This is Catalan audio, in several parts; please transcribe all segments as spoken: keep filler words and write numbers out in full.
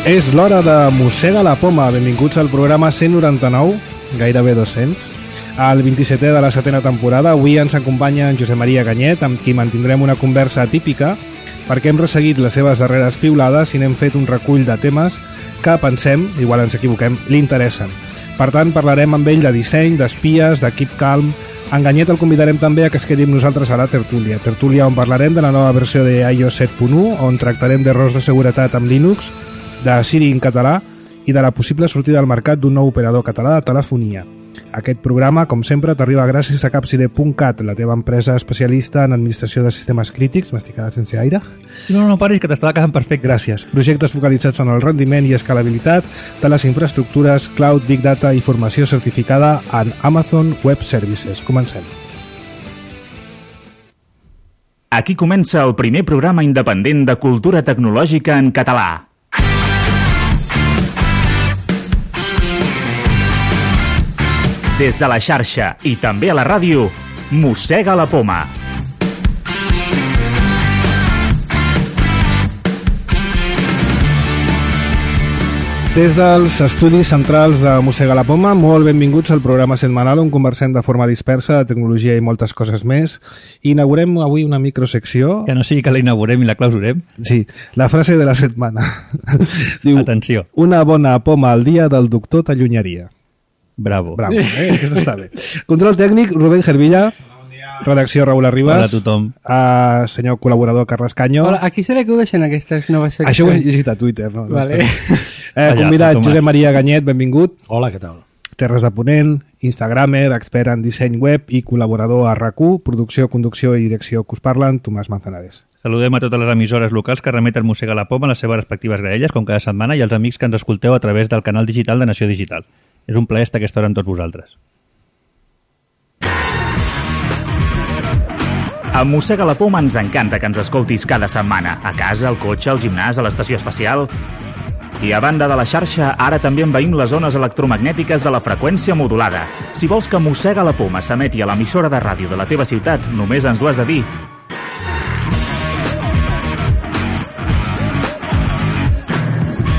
És l'hora de Mossega la Poma. Benvinguts al programa cent noranta-nou, gairebé dos-cents. Al vint-i-setè de la setena temporada. Avui ens acompanya en Josep Maria Ganyet, amb qui mantindrem una conversa atípica, perquè hem resseguit les seves darreres piulades i n'hem fet un recull de temes que pensem, igual ens equivoquem, li interessen. Per tant, parlarem amb ell de disseny, d'espies, de Keep Calm. En Ganyet el convidarem també a que es quedi amb nosaltres a la tertúlia. Tertúlia on parlarem de la nova versió de i O S set punt u, on tractarem d'errors de seguretat amb Linux, de Siri en català i de la possible sortida al mercat d'un nou operador català de telefonia. Aquest programa, com sempre, t'arriba gràcies a capcide punt cat, la teva empresa especialista en administració de sistemes crítics. M'estic quedat sense aire? No, no, paris, que t'estava quedant perfecte. Gràcies. Projectes focalitzats en el rendiment i escalabilitat de les infraestructures, cloud, big data i formació certificada en Amazon Web Services. Comencem. Aquí comença el primer programa independent de cultura tecnològica en català. Des de la xarxa i també a la ràdio, Mossega la Poma. Des dels estudis centrals de Mossega la Poma, molt benvinguts al programa setmanal on conversem de forma dispersa de tecnologia i moltes coses més. Inaugurem avui una microsecció. Que no sigui que la inaugurem i la clausurem. Sí, la frase de la setmana. Diu, atenció. Una bona poma al dia del doctor t'allunyaria. Bravo. Bravo, eh? Aquesta està bé. Control tècnic, Rubén Gervilla. Redacció, Raül Arribas. Hola a tothom. Uh, senyor col·laborador, Carles Canyo. Hola, a qui se li acudeixen aquestes noves seccions? Això ho he llegit a Twitter, no? Vale. Eh, convidat, Josep Maria Ganyet, benvingut. Hola, què tal? Terres de Ponent, instagramer, expert en disseny web i col·laborador a RAC u, producció, conducció i direcció que us parlen, Tomàs Manzanares. Saludem a totes les emissores locals que remeten Mossega la Poma a les seves respectives graelles, com cada setmana, i als amics que ens escolteu a través del canal digital de Nació Digital. És un plaer estar aquesta hora amb tots vosaltres. A Mossega la Poma ens encanta que ens escoltis cada setmana, a casa, al cotxe, al gimnàs, a l'estació espacial. I a banda de la xarxa, ara també envaïm les zones electromagnètiques de la freqüència modulada. Si vols que Mossega la Poma s'emeti a l'emissora de ràdio de la teva ciutat, només ens ho has de dir.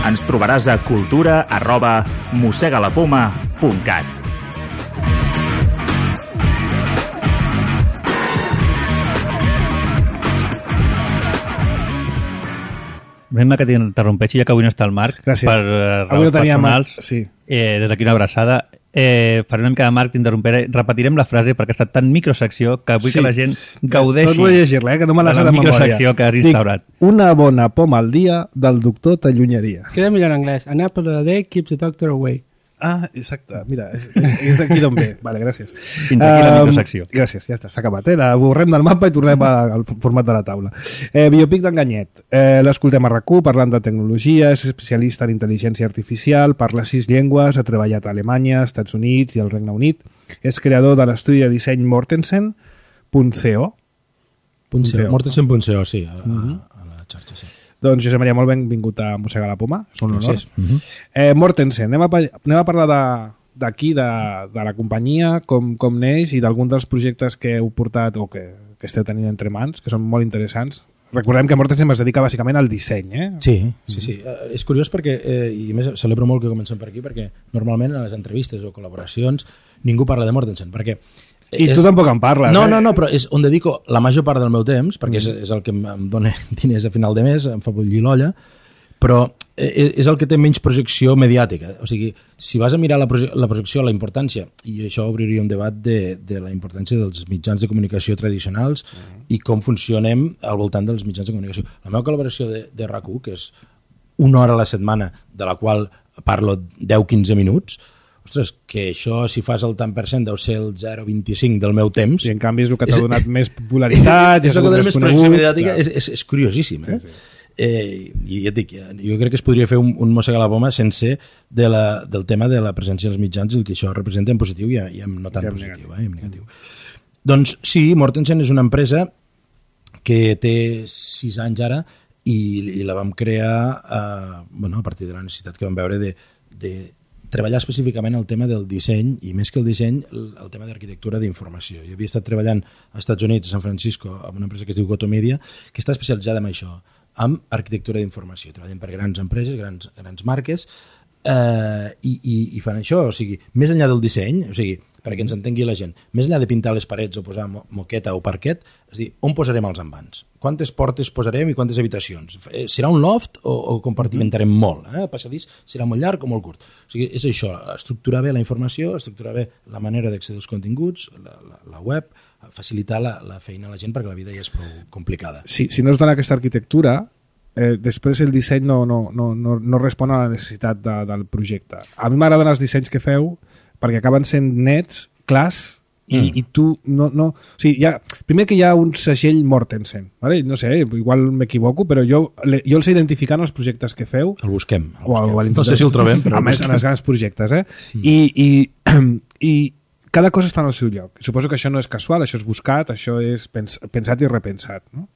Ens trobaràs a cultura arroba mossegalapoma punt cat. Anem que t'interrompeixi, ja que avui no està el Marc. Gràcies. Per uh, avui no tenia personals. Marc. Sí. Eh, des d'aquí una abraçada. Eh, faré una mica de Marc, t'interromperé. Repetirem la frase perquè ha estat tan microsecció que vull sí. que la gent gaudeixi Tot vull llegir-la, eh, que no me la sé de memòria. microsecció que has instaurat. Dic, una bona poma al dia del doctor t'allunyaria. Queda millor en anglès. An apple a day keeps the doctor away. Ah, exacte. Mira, és, és d'aquí d'on ve. Vale, gràcies. Fins aquí la microsecció. Um, gràcies, ja està, s'ha acabat. Eh? La borrem del mapa i tornem a, al format de la taula. Eh, Biopic d'en Ganyet. Eh, l'escoltem a RAC u parlant de tecnologia, és especialista en intel·ligència artificial, parla sis llengües, ha treballat a Alemanya, Estats Units i al Regne Unit. És creador de l'estudi de disseny Mortensen punt co. Mortensen punt co, sí, a, uh-huh. a la xarxa, sí. Doncs, Josep Maria, molt benvingut a Mossega la Poma. És un honor. Uh-huh. Eh, Mortensen, anem a, anem a parlar d'aquí, de, de, de la companyia, com, com neix i d'algun dels projectes que heu portat o que, que esteu tenint entre mans, que són molt interessants. Recordem que Mortensen es dedica bàsicament al disseny, eh? Sí, sí, sí. Uh, és curiós perquè, eh, i a més celebro molt que comencem per aquí, perquè normalment a les entrevistes o col·laboracions ningú parla de Mortensen, perquè I tu és... tampoc en parles, no, eh? No, no, però és on dedico la major part del meu temps, perquè mm. és, és el que em dona diners a final de mes, em fa bullir l'olla, però és, és el que té menys projecció mediàtica. O sigui, si vas a mirar la, proje la projecció, la importància, i això obriria un debat de, de la importància dels mitjans de comunicació tradicionals mm. i com funcionem al voltant dels mitjans de comunicació. La meva col·laboració de, de RAC u, que és una hora a la setmana, de la qual parlo deu a quinze minuts, ostres, que això, si fas el tant per cent, deu ser el zero coma vint-i-cinc del meu temps. I en canvi és el que t'ha donat més popularitat. És el que t'ha donat més projecció mediàtica, és, és, és curiosíssim. Eh? Sí, sí. Eh, I ja et dic, jo crec que es podria fer un, un Mossega la Poma sense de la, del tema de la presència dels mitjans i el que això representa en positiu i, i en no tan I positiu, eh, en negatiu. Doncs sí, Mortensen és una empresa que té sis anys ara i, i la vam crear eh, bueno, a partir de la necessitat que vam veure de, de treballar específicament el tema del disseny i més que el disseny, el, el tema d'arquitectura d'informació. Jo havia estat treballant als Estats Units, a San Francisco, amb una empresa que es diu Goto Media, que està especialitzada en això, amb arquitectura d'informació. Treballen per grans empreses, grans, grans marques, eh, i, i, i fan això. O sigui, més enllà del disseny, o sigui, perquè ens entengui la gent, més enllà de pintar les parets o posar mo moqueta o parquet, és a dir, on posarem els envans? Quantes portes posarem i quantes habitacions? Serà un loft o, o compartimentarem molt? Eh? El passadís serà molt llarg o molt curt? O sigui, és això, estructurar bé la informació, estructurar bé la manera d'accedir als continguts, la, la, la web, facilitar la, la feina a la gent perquè la vida ja és prou complicada. Si, si no es dona aquesta arquitectura, eh, després el disseny no, no, no, no, no respon a la necessitat de, del projecte. A mi m'agraden els dissenys que feu perquè acaben sent nets, clars, i, mm. i tu no... no o sigui, hi ha, primer que hi ha un segell Mortensen, ¿vale? No sé, igual m'equivoco, però jo, le, jo els he identificat en els projectes que feu. El busquem. El o el, busquem. No sé si el trobem, però... A més, en els grans projectes, eh? Mm. I, i, i cada cosa està en el seu lloc. Suposo que això no és casual, això és buscat, això és pens, pensat i repensat, no?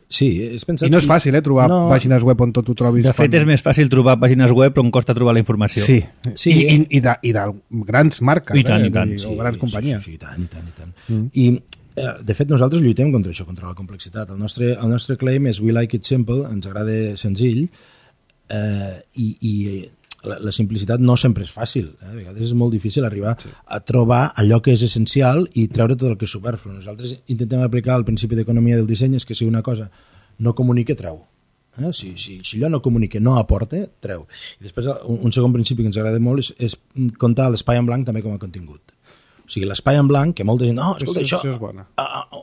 Sí, és pensat... I no és fàcil, eh, trobar no... pàgines web on tot ho trobis. De fet, quan... és més fàcil trobar pàgines web però on costa trobar la informació. Sí, sí. I, i, i, de, i de grans marques, I tant, eh? i tant. O grans sí, companyies. Sí, sí, sí, i tant, i tant, i tant. Mm. I, eh, de fet, nosaltres lluitem contra això, contra la complexitat. El nostre, el nostre claim és we like it simple, ens agrada senzill, eh, i, i la, la simplicitat no sempre és fàcil. Eh? A vegades és molt difícil arribar sí. a trobar allò que és essencial i treure tot el que és superflu. Nosaltres intentem aplicar el principi d'economia del disseny, és que si una cosa no comunica, treu. Eh? Si, si, si allò no comunica, no aporta, treu. I després un, un segon principi que ens agrada molt és, és comptar l'espai en blanc també com a contingut. O sigui, l'espai en blanc, que molta gent... No, escolta, això, això és bona.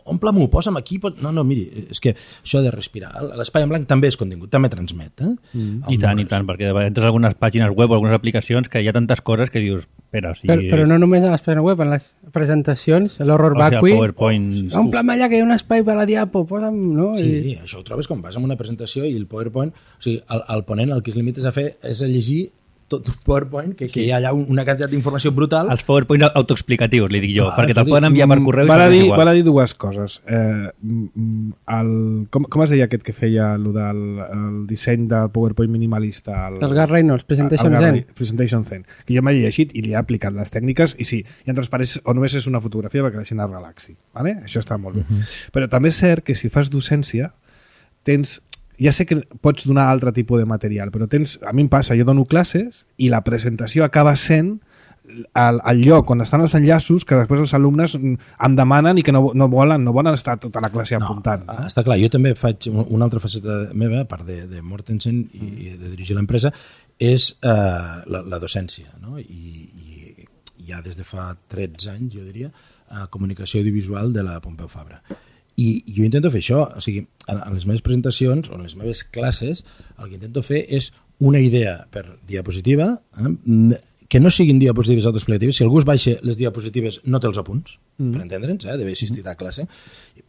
omple-m'ho, posa'm aquí... Pot... No, no, miri, és que això de respirar. L'espai en blanc també és contingut, també transmet. Eh? Mm. I tant, i tant, perquè entres a algunes pàgines web o algunes aplicacions que hi ha tantes coses que dius... Espera, o sigui... però, però no només a les pàgines web, en les presentacions, l'horror vacui... O sigui, omple-me allà que hi ha un espai per la diapo, posa'm... No? Sí, I... això ho trobes quan vas a una presentació i el PowerPoint... O sigui, el, el ponent el que es limita a fer és a llegir tot un PowerPoint, que, que hi ha allà una quantitat d'informació brutal. Els PowerPoint autoexplicatius, li dic jo, ah, perquè te'l poden enviar per correu val i a dir, igual. val a dir dues coses. Eh, el, com, com es deia aquest que feia el, del, el disseny del PowerPoint minimalista? El, el Gar Reynolds, Presentation el, el Zen. Presentation Zen. Que jo m'he llegit i li he aplicat les tècniques i sí, i en transpareix o només és una fotografia perquè la gent es relaxi. ¿Vale? Això està molt bé. Uh -huh. Però també és cert que si fas docència tens... Ja sé que pots donar altre tipus de material, però tens, a mi em passa, jo dono classes i la presentació acaba sent el, el lloc on estan els enllaços que després els alumnes em demanen i que no, no, volen, no volen estar tota la classe no, apuntant. No? Està clar, jo també faig una altra faceta meva, a part de, de Mortensen i, mm. i de dirigir l'empresa, és eh, la, la docència, no? I, i ja des de fa tretze anys, jo diria, a comunicació audiovisual de la Pompeu Fabra. I jo intento fer això, o sigui, en les meves presentacions o en les meves classes el que intento fer és una idea per diapositiva, eh, que no siguin diapositives autoexplicatives. Si algú es baixa les diapositives no té els apunts, mm. per entendre'ns, eh, d'haver assistit a classe.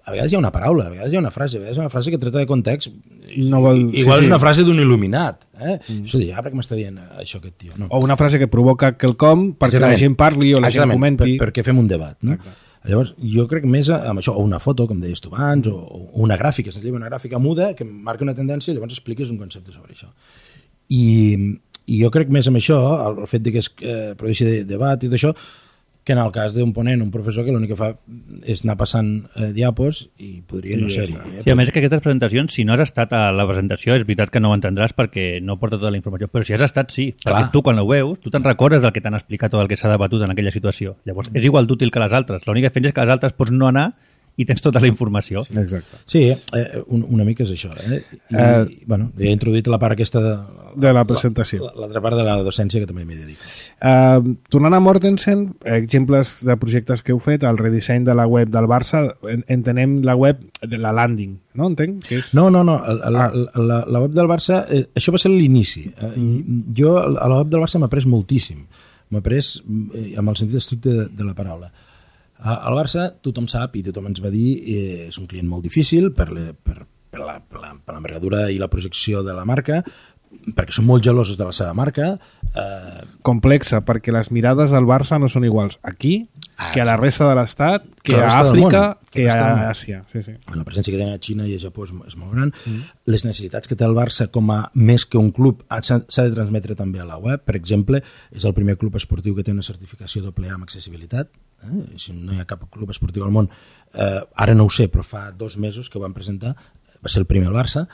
A vegades hi ha una paraula, a vegades hi ha una frase, a vegades hi ha una frase que tracta de context, no vol... igual sí, és sí. una frase d'un il·luminat, eh? Mm. Això dir, ah, perquè m'està dient això aquest tio? No. O una frase que provoca quelcom perquè Exactament. la gent parli o la Exactament. gent comenti. Per, perquè fem un debat, no? Exacte. Llavors, jo crec més amb això, o una foto, com deies tu abans, o, o una gràfica, una gràfica muda que marca una tendència i llavors expliques un concepte sobre això. I, i jo crec més amb això, el, el fet de que es eh, produeixi de, debat i d'això, que en el cas d'un ponent, un professor que l'únic que fa és anar passant eh, diapos i podria no ser-hi. Eh? Sí, a més que aquestes presentacions, si no has estat a la presentació, és veritat que no ho entendràs perquè no porta tota la informació, però si has estat, sí. Clar. Perquè tu, quan ho veus, tu te'n recordes del que t'han explicat o del que s'ha debatut en aquella situació. Llavors, és igual d'útil que les altres. L'única diferència és que les altres pots no anar i tens tota la informació. Sí, exacte. Sí, eh, un, una mica és això. Eh? I, uh, bueno, he introduït la part aquesta de, de la presentació. L'altra part de la docència que també m'hi dedico. Uh, tornant a Mortensen, exemples de projectes que heu fet, el redisseny de la web del Barça, entenem la web de la landing, no? Entenc? Que és... No, no, no. La, la, la, la web del Barça, eh, això va ser l'inici. Eh, mm. Jo a la web del Barça m'ha après moltíssim. M'ha après eh, amb el sentit estricte de, de la paraula. Al Barça tothom sap i tothom ens va dir eh, és un client molt difícil per, le, per, per, la, per, la, per l'envergadura i la projecció de la marca, perquè són molt gelosos de la seva marca. Eh... Complexa, perquè les mirades del Barça no són iguals aquí ah, que a la resta de l'Estat, que, que a Àfrica, que, que a Àsia. Sí, sí. La presència que tenen a Xina i a Japó és, és molt gran. Mm. Les necessitats que té el Barça com a més que un club s'ha de transmetre també a la web. Per exemple, és el primer club esportiu que té una certificació doble A amb accessibilitat. Eh? Si no hi ha cap club esportiu al món, eh, ara no ho sé, però fa dos mesos que ho van presentar, va ser el primer al Barça.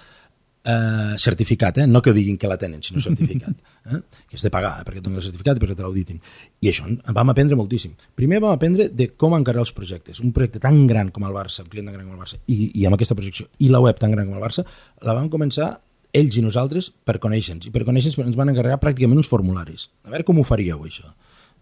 eh, certificat, eh? no que diguin que la tenen, sinó certificat, eh? que és de pagar, eh? perquè tenen el certificat i perquè te l'auditin. I això vam aprendre moltíssim. Primer vam aprendre de com encarar els projectes. Un projecte tan gran com el Barça, un client tan gran com el Barça, i, i amb aquesta projecció, i la web tan gran com el Barça, la vam començar ells i nosaltres per conèixer-nos. I per conèixer-nos ens van encarregar pràcticament uns formularis. A veure com ho faríeu, això.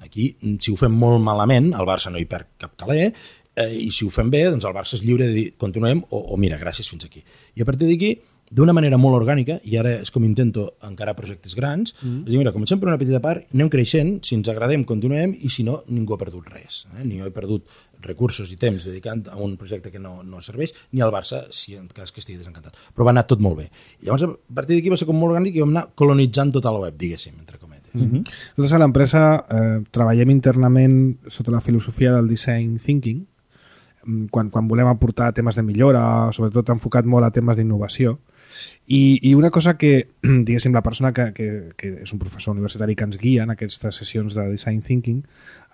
Aquí, si ho fem molt malament, el Barça no hi perd cap caler, eh, i si ho fem bé, doncs el Barça és lliure de dir continuem o, o mira, gràcies, fins aquí. I a partir d'aquí, d'una manera molt orgànica, i ara és com intento encarar projectes grans, mm. és dir, mira, comencem per una petita part, anem creixent, si ens agradem, continuem, i si no, ningú ha perdut res. Eh? Ni jo he perdut recursos i temps dedicant a un projecte que no, no serveix, ni al Barça, si en cas que estigui desencantat. Però va anar tot molt bé. I llavors, a partir d'aquí va ser com molt orgànic i vam anar colonitzant tota la web, diguéssim, entre cometes. Mm-hmm. Nosaltres a l'empresa eh, treballem internament sota la filosofia del design thinking, quan, quan volem aportar temes de millora, sobretot enfocat molt a temes d'innovació. I, I una cosa que, diguéssim, la persona que, que, que és un professor universitari que ens guia en aquestes sessions de design thinking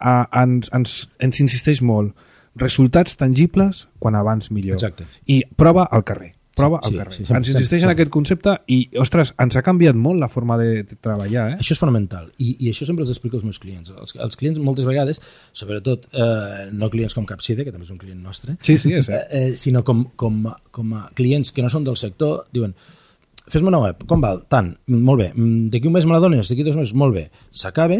uh, ens, ens, ens insisteix molt. Resultats tangibles quan abans millor. Exacte. I prova al carrer. Prova sí, al carrer. Sí, sí, ens insisteix en aquest concepte i, ostres, ens ha canviat molt la forma de, de treballar. Eh? Això és fonamental i, i això sempre els explico als meus clients. Els, els clients moltes vegades, sobretot eh, no clients com Capside, que també és un client nostre, sí, sí, és, eh, eh, sinó com, com, com a clients que no són del sector, diuen fes-me una web, com val? Tant, molt bé, d'aquí un mes me la dones, d'aquí dos mesos, molt bé, s'acaba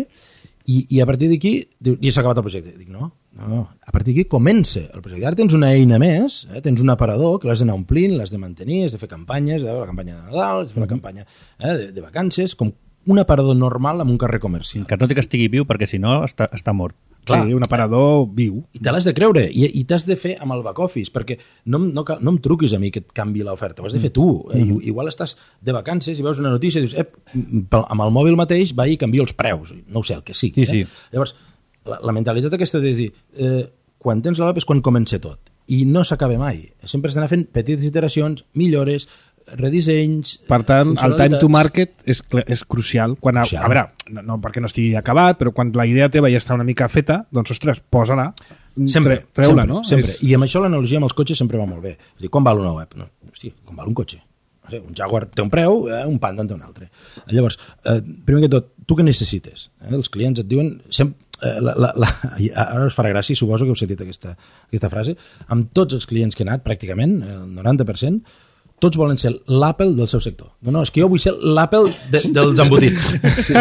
i, i a partir d'aquí ja s'ha acabat el projecte. Dic, no, no, a partir d'aquí comença el projecte. Ara tens una eina més, eh? Tens un aparador que l'has d'anar omplint, l'has de mantenir, has de fer campanyes, eh? la campanya de Nadal, has de fer la campanya eh? de, de vacances, com un aparador normal en un carrer comercial. Que no té que estigui viu, perquè si no està, està mort. Clar, sí, un aparador viu. I te l'has de creure, i, i t'has de fer amb el back office, perquè no, no, no em truquis a mi que et canvi l'oferta, ho has de fer tu. Eh? Mm -hmm. Igual estàs de vacances i veus una notícia i dius, eh, amb el mòbil mateix va i canvia els preus, no ho sé, el que sigui. Sí, eh? sí. Llavors, la, la mentalitat aquesta de dir, eh, quan tens la web és quan comença tot, i no s'acaba mai. Sempre has d'anar fent petites iteracions, millores, redissenys, per tant, el time to market és, és crucial. Quan a, crucial. A veure, no, no perquè no estigui acabat, però quan la idea teva ja està una mica feta, doncs, ostres, posa-la, sempre, treu-la, sempre, no? Sempre. És... I amb això l'analogia amb els cotxes sempre va molt bé. És dir, quan val una web? No, hòstia, quan val un cotxe? No sé, un Jaguar té un preu, eh, un Panda en té un altre. Llavors, eh, primer que tot, tu què necessites? Eh? Els clients et diuen... Sempre, eh, la, la, la, ara us farà gràcia, suposo que heu sentit aquesta, aquesta frase. Amb tots els clients que he anat, pràcticament, el noranta per cent, tots volen ser l'Apple del seu sector. No, no, és que jo vull ser l'Apple de, dels embotits. Sí.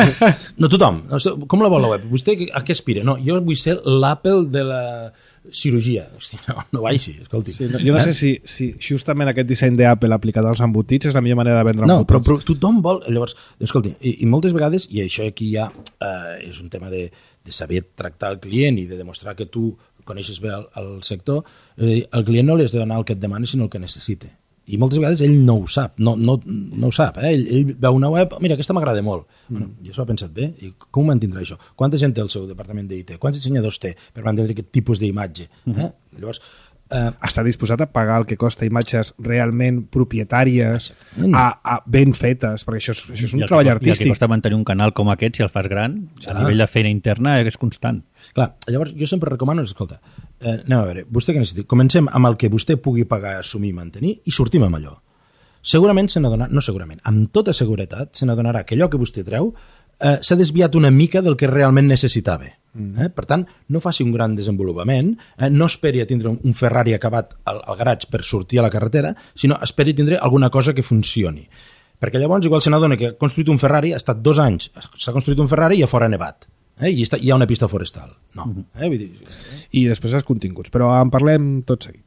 No tothom. Com la vol la web? Vostè a què aspira? No, jo vull ser l'Apple de la cirurgia. Hosti, no, no va així, escolti. Sí, no, jo no eh? sé si, si justament aquest disseny d'Apple aplicat als embotits és la millor manera de vendre no, embotits. No, però, però tothom vol... Llavors, escolti, i, i moltes vegades, i això aquí ja eh, és un tema de, de saber tractar el client i de demostrar que tu coneixes bé el, el sector, eh, el client no li has de donar el que et demani, sinó el que necessita. I moltes vegades ell no ho sap, no, no, no ho sap. Eh? Ell, ell veu una web, mira, aquesta m'agrada molt. Mm. Bueno, jo s'ho he pensat bé, i com ho mantindrà això? Quanta gent té el seu departament d'I T? Quants dissenyadors té per mantenir aquest tipus d'imatge? Eh? Mm. Llavors, eh... està disposat a pagar el que costa imatges realment propietàries, a, a ben fetes, perquè això és, això és un treball que, artístic. I el que costa mantenir un canal com aquest, si el fas gran, a ah. nivell de feina interna és constant. Clar, llavors jo sempre recomano, escolta, eh, anem a veure, vostè què necessita? Comencem amb el que vostè pugui pagar, assumir i mantenir i sortim amb allò. Segurament se n'adonarà, no segurament, amb tota seguretat se n'adonarà que allò que vostè treu eh, s'ha desviat una mica del que realment necessitava. Mm. Eh? Per tant, no faci un gran desenvolupament, eh? No esperi a tindre un Ferrari acabat al, al garatge per sortir a la carretera, sinó esperi a tindre alguna cosa que funcioni. Perquè llavors igual se n'adona que ha construït un Ferrari, ha estat dos anys, s'ha construït un Ferrari i a fora ha nevat. Eh? I està, hi ha una pista forestal. No. Mm. Eh? Vull dir... I després els continguts, però en parlem tot seguit.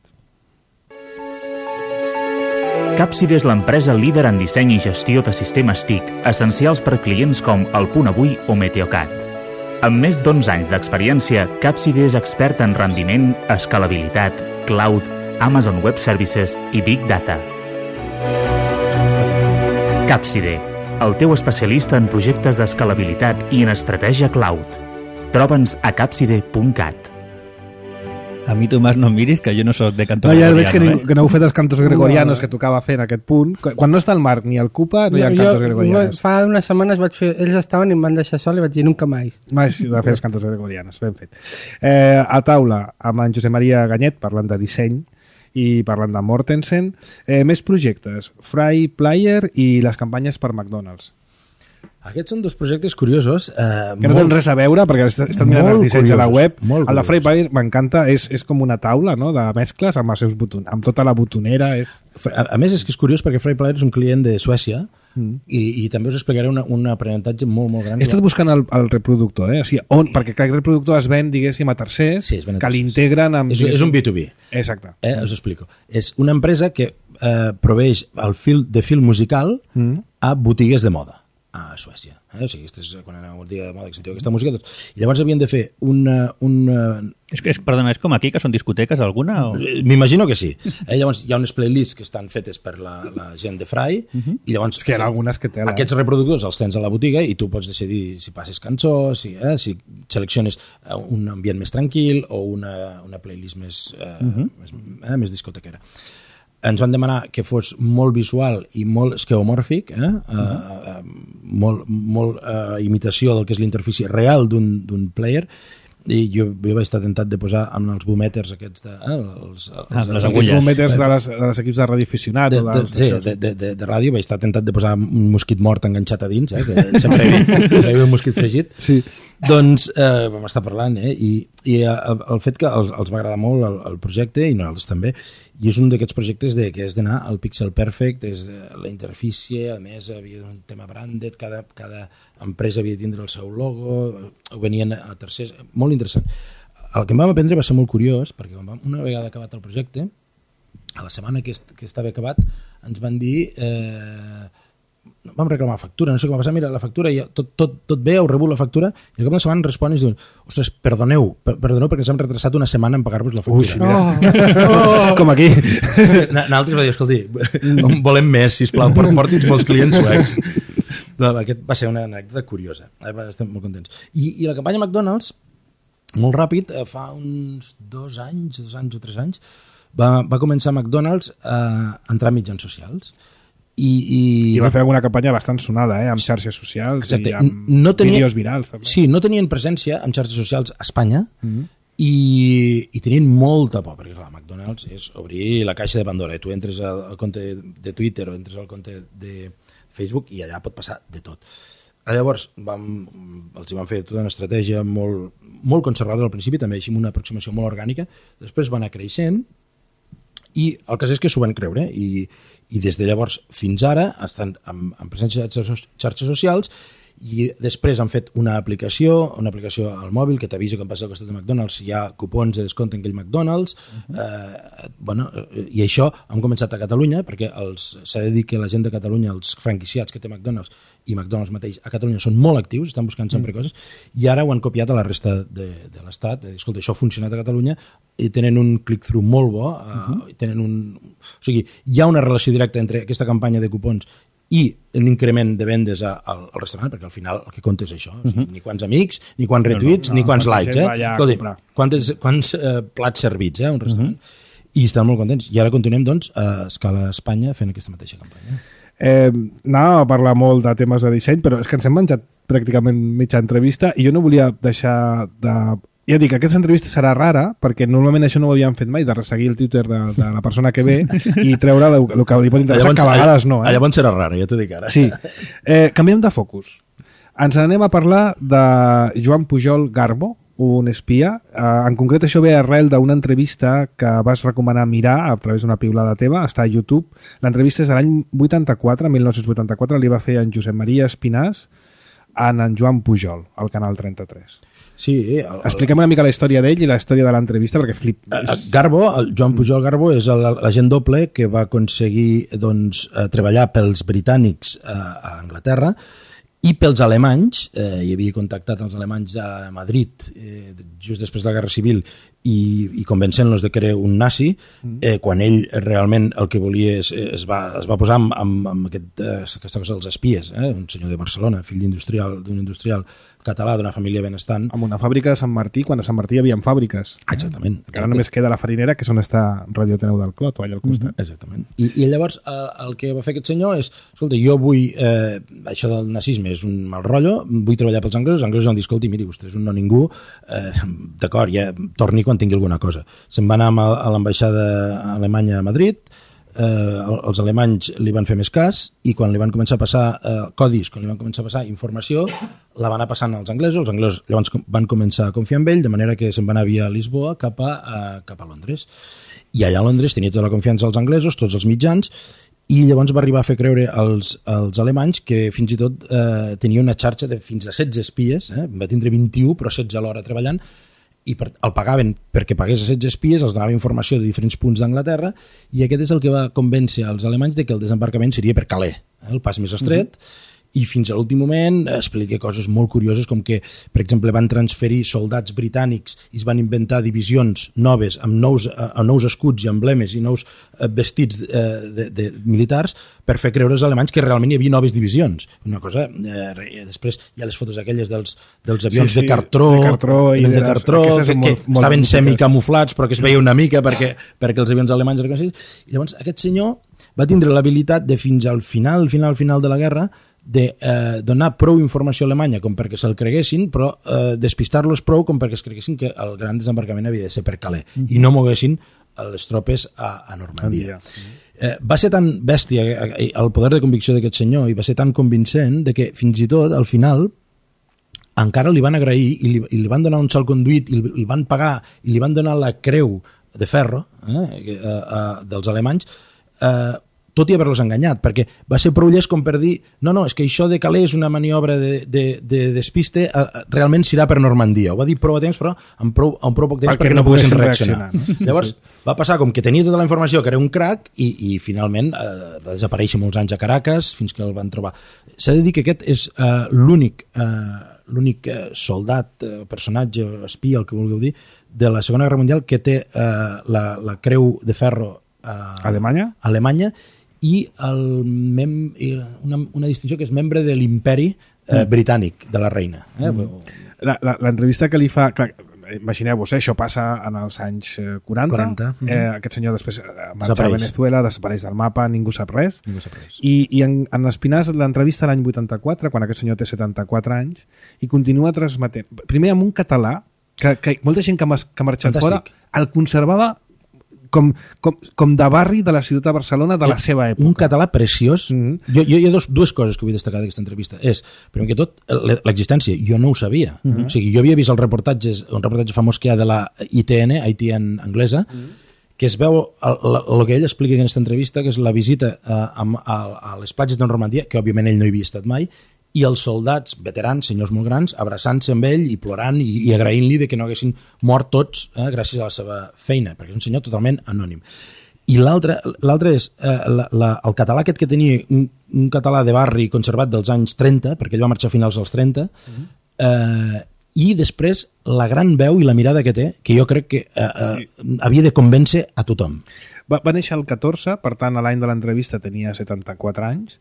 Capside és l'empresa líder en disseny i gestió de sistemes T I C, essencials per clients com El Punt Avui o Meteocat. Amb més d'onze anys d'experiència, Capside és expert en rendiment, escalabilitat, cloud, Amazon Web Services i Big Data. Capside, el teu especialista en projectes d'escalabilitat i en estratègia cloud. Troba'ns a capside punt cat. A mi, Tomàs, no em miris, que jo no soc de canto no, ja gregoriano. Veig que, eh? que no heu fet els cantos gregorianos que tocava fer en aquest punt. Quan no està el Marc ni el Cupa, no hi ha no, cantos jo, gregorianos. Fa unes setmanes vaig fer... Ells estaven i em van deixar sol i vaig dir nunca més. Més de fer els cantos gregorianos, ben fet. Eh, a taula, amb en Josep Maria Ganyet, parlant de disseny, i parlant de Mortensen. Eh, més projectes, Fry Player i les campanyes per McDonald's. Aquests són dos projectes curiosos. Eh, que no tenen res a veure, perquè he estat mirant els dissenys a la web. Molt el de Fry Player m'encanta, és, és com una taula, no?, de mescles amb, els seus boton, amb tota la botonera. És... A, a més, és que és curiós perquè Fry Player és un client de Suècia mm. i, i també us explicaré una, un aprenentatge molt, molt gran. He estat buscant el, el reproductor, eh? O sigui, on, perquè aquest reproductor es ven, diguéssim, a tercers, sí, que l'integren amb... És, és un B dos B. Exacte. Eh, us explico. És una empresa que eh, proveix el fil de fil musical mm. a botigues de moda a Suècia. Eh? O sigui, és, quan aneu a una botiga de moda que sentiu aquesta música, doncs... I llavors havien de fer una... una... És que, és, perdona, és com aquí, que són discoteques alguna? O... M'imagino que sí. Eh? Llavors hi ha unes playlists que estan fetes per la, la gent de Fry, uh-huh. i llavors... És que hi ha algunes que tela. Aquests reproductors els tens a la botiga i tu pots decidir si passes cançó, si, eh? si selecciones un ambient més tranquil o una, una playlist més, eh, uh-huh. més, eh? més discotequera. Ens van demanar que fos molt visual i molt esqueomòrfic, eh? uh, uh, molt, molt uh, imitació del que és l'interfície real d'un player, i jo, jo vaig estar tentat de posar amb els boomèters aquests de... Eh? Els, els, ah, les agulles. Els boomèters de les, de les equips de radioaficionat. De, de, de, sí, de, de, de, de ràdio vaig estar tentat de posar un mosquit mort enganxat a dins, eh? Que sempre hi havia un mosquit fregit. Sí. Doncs eh, vam estar parlant, eh? I, i el, el fet que els, els va agradar molt el, el projecte, i nosaltres també, i és un d'aquests projectes de, que és d'anar al pixel perfect, és la interfície, a més havia un tema branded, cada, cada empresa havia de tindre el seu logo, ho venien a tercers, molt interessant. El que em vam aprendre va ser molt curiós, perquè vam, una vegada acabat el projecte, a la setmana que, est, que estava acabat, ens van dir... Eh, vam reclamar factura, no sé com va passar, mira, la factura, ja, tot, tot, tot bé, heu rebut la factura, i al cap de setmana respon i diuen, ostres, perdoneu, per, perdoneu perquè ens hem retrasat una setmana en pagar-vos la factura. Ui, mira. Oh. Oh. Com aquí. Nosaltres va dir, escolti, volem més, sisplau, porti'ns molts clients suecs. No, aquest va ser una anècdota curiosa, estem molt contents. I, i la campanya McDonald's, molt ràpid, fa uns dos anys, dos anys o tres anys, va, va començar McDonald's a entrar a mitjans socials. I, i... I va fer alguna campanya bastant sonada, eh? Amb xarxes socials. Exacte. I amb no tenia... vídeos virals també. Sí, no tenien presència en xarxes socials a Espanya, mm-hmm. i, i tenien molta por, perquè clar, McDonald's és obrir la caixa de Pandora, tu entres al, al compte de Twitter o entres al compte de Facebook i allà pot passar de tot. Llavors vam, els van fer tota una estratègia molt, molt conservadora al principi, també així una aproximació molt orgànica, després va anar creixent, i el cas és que s'ho van creure, i, i des de llavors fins ara estan en, en presència de xarxes socials, i després han fet una aplicació, una aplicació al mòbil que t'avisa quan passa al costat de McDonald's, hi ha cupons de descompte en aquell McDonald's, uh-huh. eh, bueno, i això han començat a Catalunya, perquè s'ha de dir que la gent de Catalunya, els franquiciats que té McDonald's i McDonald's mateix a Catalunya són molt actius, estan buscant sempre uh-huh. coses, i ara ho han copiat a la resta de, de l'Estat, de dir, escolta, això ha funcionat a Catalunya, i tenen un click-through molt bo, uh-huh. eh, tenen un... O sigui, hi ha una relació directa entre aquesta campanya de cupons i un increment de vendes a, al, al restaurant, perquè al final el que compta és això, o sigui, uh-huh. ni quants amics, ni quants retuits, no, no, no, ni quants likes, eh? Escolti, quants, quants eh, plats servits, eh, un restaurant. Uh-huh. I estan molt contents. I ara continuem, doncs, a escala Espanya fent aquesta mateixa campanya. Eh, anàvem a parlar molt de temes de disseny, però és que ens hem menjat pràcticament mitja entrevista i jo no volia deixar de... Ja dic, aquesta entrevista serà rara, perquè normalment això no ho havíem fet mai, de resseguir el Twitter de, de la persona que ve i treure el, el que li pot interessar, llavors, que a vegades no. Eh? Llavors serà rara, ja t'ho dic ara. Sí. Eh, canviem de focus. Ens anem a parlar de Joan Pujol Garbo, un espia. Eh, en concret, això ve arrel d'una entrevista que vas recomanar mirar a través d'una piulada teva, està a YouTube. L'entrevista és de l'any vuitanta-quatre, mil nou-cents vuitanta-quatre, li va fer en Josep Maria Espinàs en en Joan Pujol, al Canal trenta-tres. Sí, el, el... Expliquem una mica la història d'ell i la història de l'entrevista, perquè flip... Garbo, el Joan Pujol Garbo, és l'agent doble que va aconseguir doncs, treballar pels britànics a Anglaterra i pels alemanys. Eh, hi havia contactat els alemanys a Madrid eh, just després de la Guerra Civil i, i convencent-los de que era un nazi, eh, quan ell realment el que volia és, es, va, es va posar amb, amb, amb aquest, eh, aquesta cosa dels espies, eh, un senyor de Barcelona, fill d'industrial, d'un industrial català, d'una família benestant. Amb una fàbrica de Sant Martí, quan a Sant Martí hi havia fàbriques. Exactament. Que ara només queda la farinera, que és on està Radio Teneu del Clot, o allà al costat. Mm-hmm. Exactament. I, I llavors el, el que va fer aquest senyor és, escolta, jo vull, eh, això del nazisme és un mal rotllo, vull treballar pels anglesos, els anglesos van dir, escolti, miri, vostè és un no ningú, eh, d'acord, ja torni quan quan tingui alguna cosa. Se'n va anar a l'ambaixada alemanya a Madrid, eh, els alemanys li van fer més cas i quan li van començar a passar eh, codis, quan li van començar a passar informació, la van anar passant als anglesos, els anglesos llavors van començar a confiar en ell, de manera que se'n va anar via Lisboa cap a, eh, cap a Londres. I allà a Londres tenia tota la confiança als anglesos, tots els mitjans, i llavors va arribar a fer creure als, als alemanys que fins i tot eh, tenia una xarxa de fins a setze espies, eh? va tindre vint-i-u però setze alhora treballant, i per, el pagaven perquè pagués a setze espies, els donava informació de diferents punts d'Anglaterra, i aquest és el que va convèncer als alemanys de que el desembarcament seria per Calais, eh? el pas més estret, uh-huh. i fins a l'últim moment explica coses molt curioses com que, per exemple, van transferir soldats britànics i es van inventar divisions noves amb nous, amb nous escuts i emblemes i nous vestits eh, de, de militars per fer creure als alemanys que realment hi havia noves divisions. Una cosa, eh, després hi ha les fotos aquelles dels, dels avions sí, sí, de cartró, de cartró, i de cartró que, molt, que molt estaven semicamuflats però que es veia una mica perquè, perquè els avions alemanys i llavors aquest senyor va tindre l'habilitat de fins al final, final, final de la guerra de eh, donar prou informació a Alemanya com perquè se'l creguessin, però eh, despistar-los prou com perquè es creguessin que el gran desembarcament havia de ser per Calais mm-hmm. i no moguessin les tropes a, a Normandia. Mm-hmm. Eh, va ser tan bèstia el poder de convicció d'aquest senyor i va ser tan convincent de que fins i tot al final encara li van agrair i li, i li van donar un salconduit i li, li van pagar i li van donar la creu de ferro eh, eh, eh, dels alemanys eh, tot i haver-los enganyat, perquè va ser prou llest com per dir, no, no, és que això de Calais és una maniobra de, de, de despiste, realment s'irà per Normandia. Ho va dir prou a temps, però amb prou, amb prou poc temps perquè, perquè no poguessin reaccionar. reaccionar. Llavors, sí. va passar com que tenia tota la informació, que era un crac, i, i finalment eh, va desaparèixer molts anys a Caracas, fins que el van trobar. S'ha de dir que aquest és eh, l'únic eh, l'únic eh, soldat, eh, personatge, espia, el que vulgueu dir, de la Segona Guerra Mundial que té eh, la, la creu de ferro eh, Alemanya? Alemanya, i el mem, una, una distinció que és membre de l'imperi eh, britànic de la reina. Eh? Mm. L'entrevista que li fa... Clar, imagineu-vos, eh, això passa en els anys quaranta, quaranta. Eh, aquest senyor després marxa a Venezuela, desapareix del mapa, ningú sap res, ningú sap res. i, i en, en Espinàs l'entrevista l'any vuitanta-quatre, quan aquest senyor té setanta-quatre anys, i continua transmetent, primer amb un català que, que molta gent que, que ha marxat Fantàstic. Fora el conservava Com, com, com de barri de la ciutat de Barcelona de la seva època. Un català preciós. Mm-hmm. Jo, jo hi ha dos, dues coses que vull destacar d'aquesta entrevista. És, primer que tot, l'existència. Jo no ho sabia. Mm-hmm. O sigui, jo havia vist els reportatges, un reportatge famós que hi ha de la I T N, I T N anglesa, mm-hmm. que es veu el, el, el que ell explica en aquesta entrevista, que és la visita a, a, a les platges de Normandia, que òbviament ell no hi havia estat mai, i els soldats veterans, senyors molt grans, abraçant-se amb ell i plorant i, i agraint-li de que no haguessin mort tots eh, gràcies a la seva feina, perquè és un senyor totalment anònim. I l'altre és eh, la, la, el català aquest que tenia, un, un català de barri conservat dels anys trenta, perquè ell va marxar a finals dels trenta, mm-hmm. eh, i després la gran veu i la mirada que té, que jo crec que eh, eh, sí. havia de convèncer a tothom. Va, va néixer el catorze, per tant, a l'any de l'entrevista tenia setanta-quatre anys,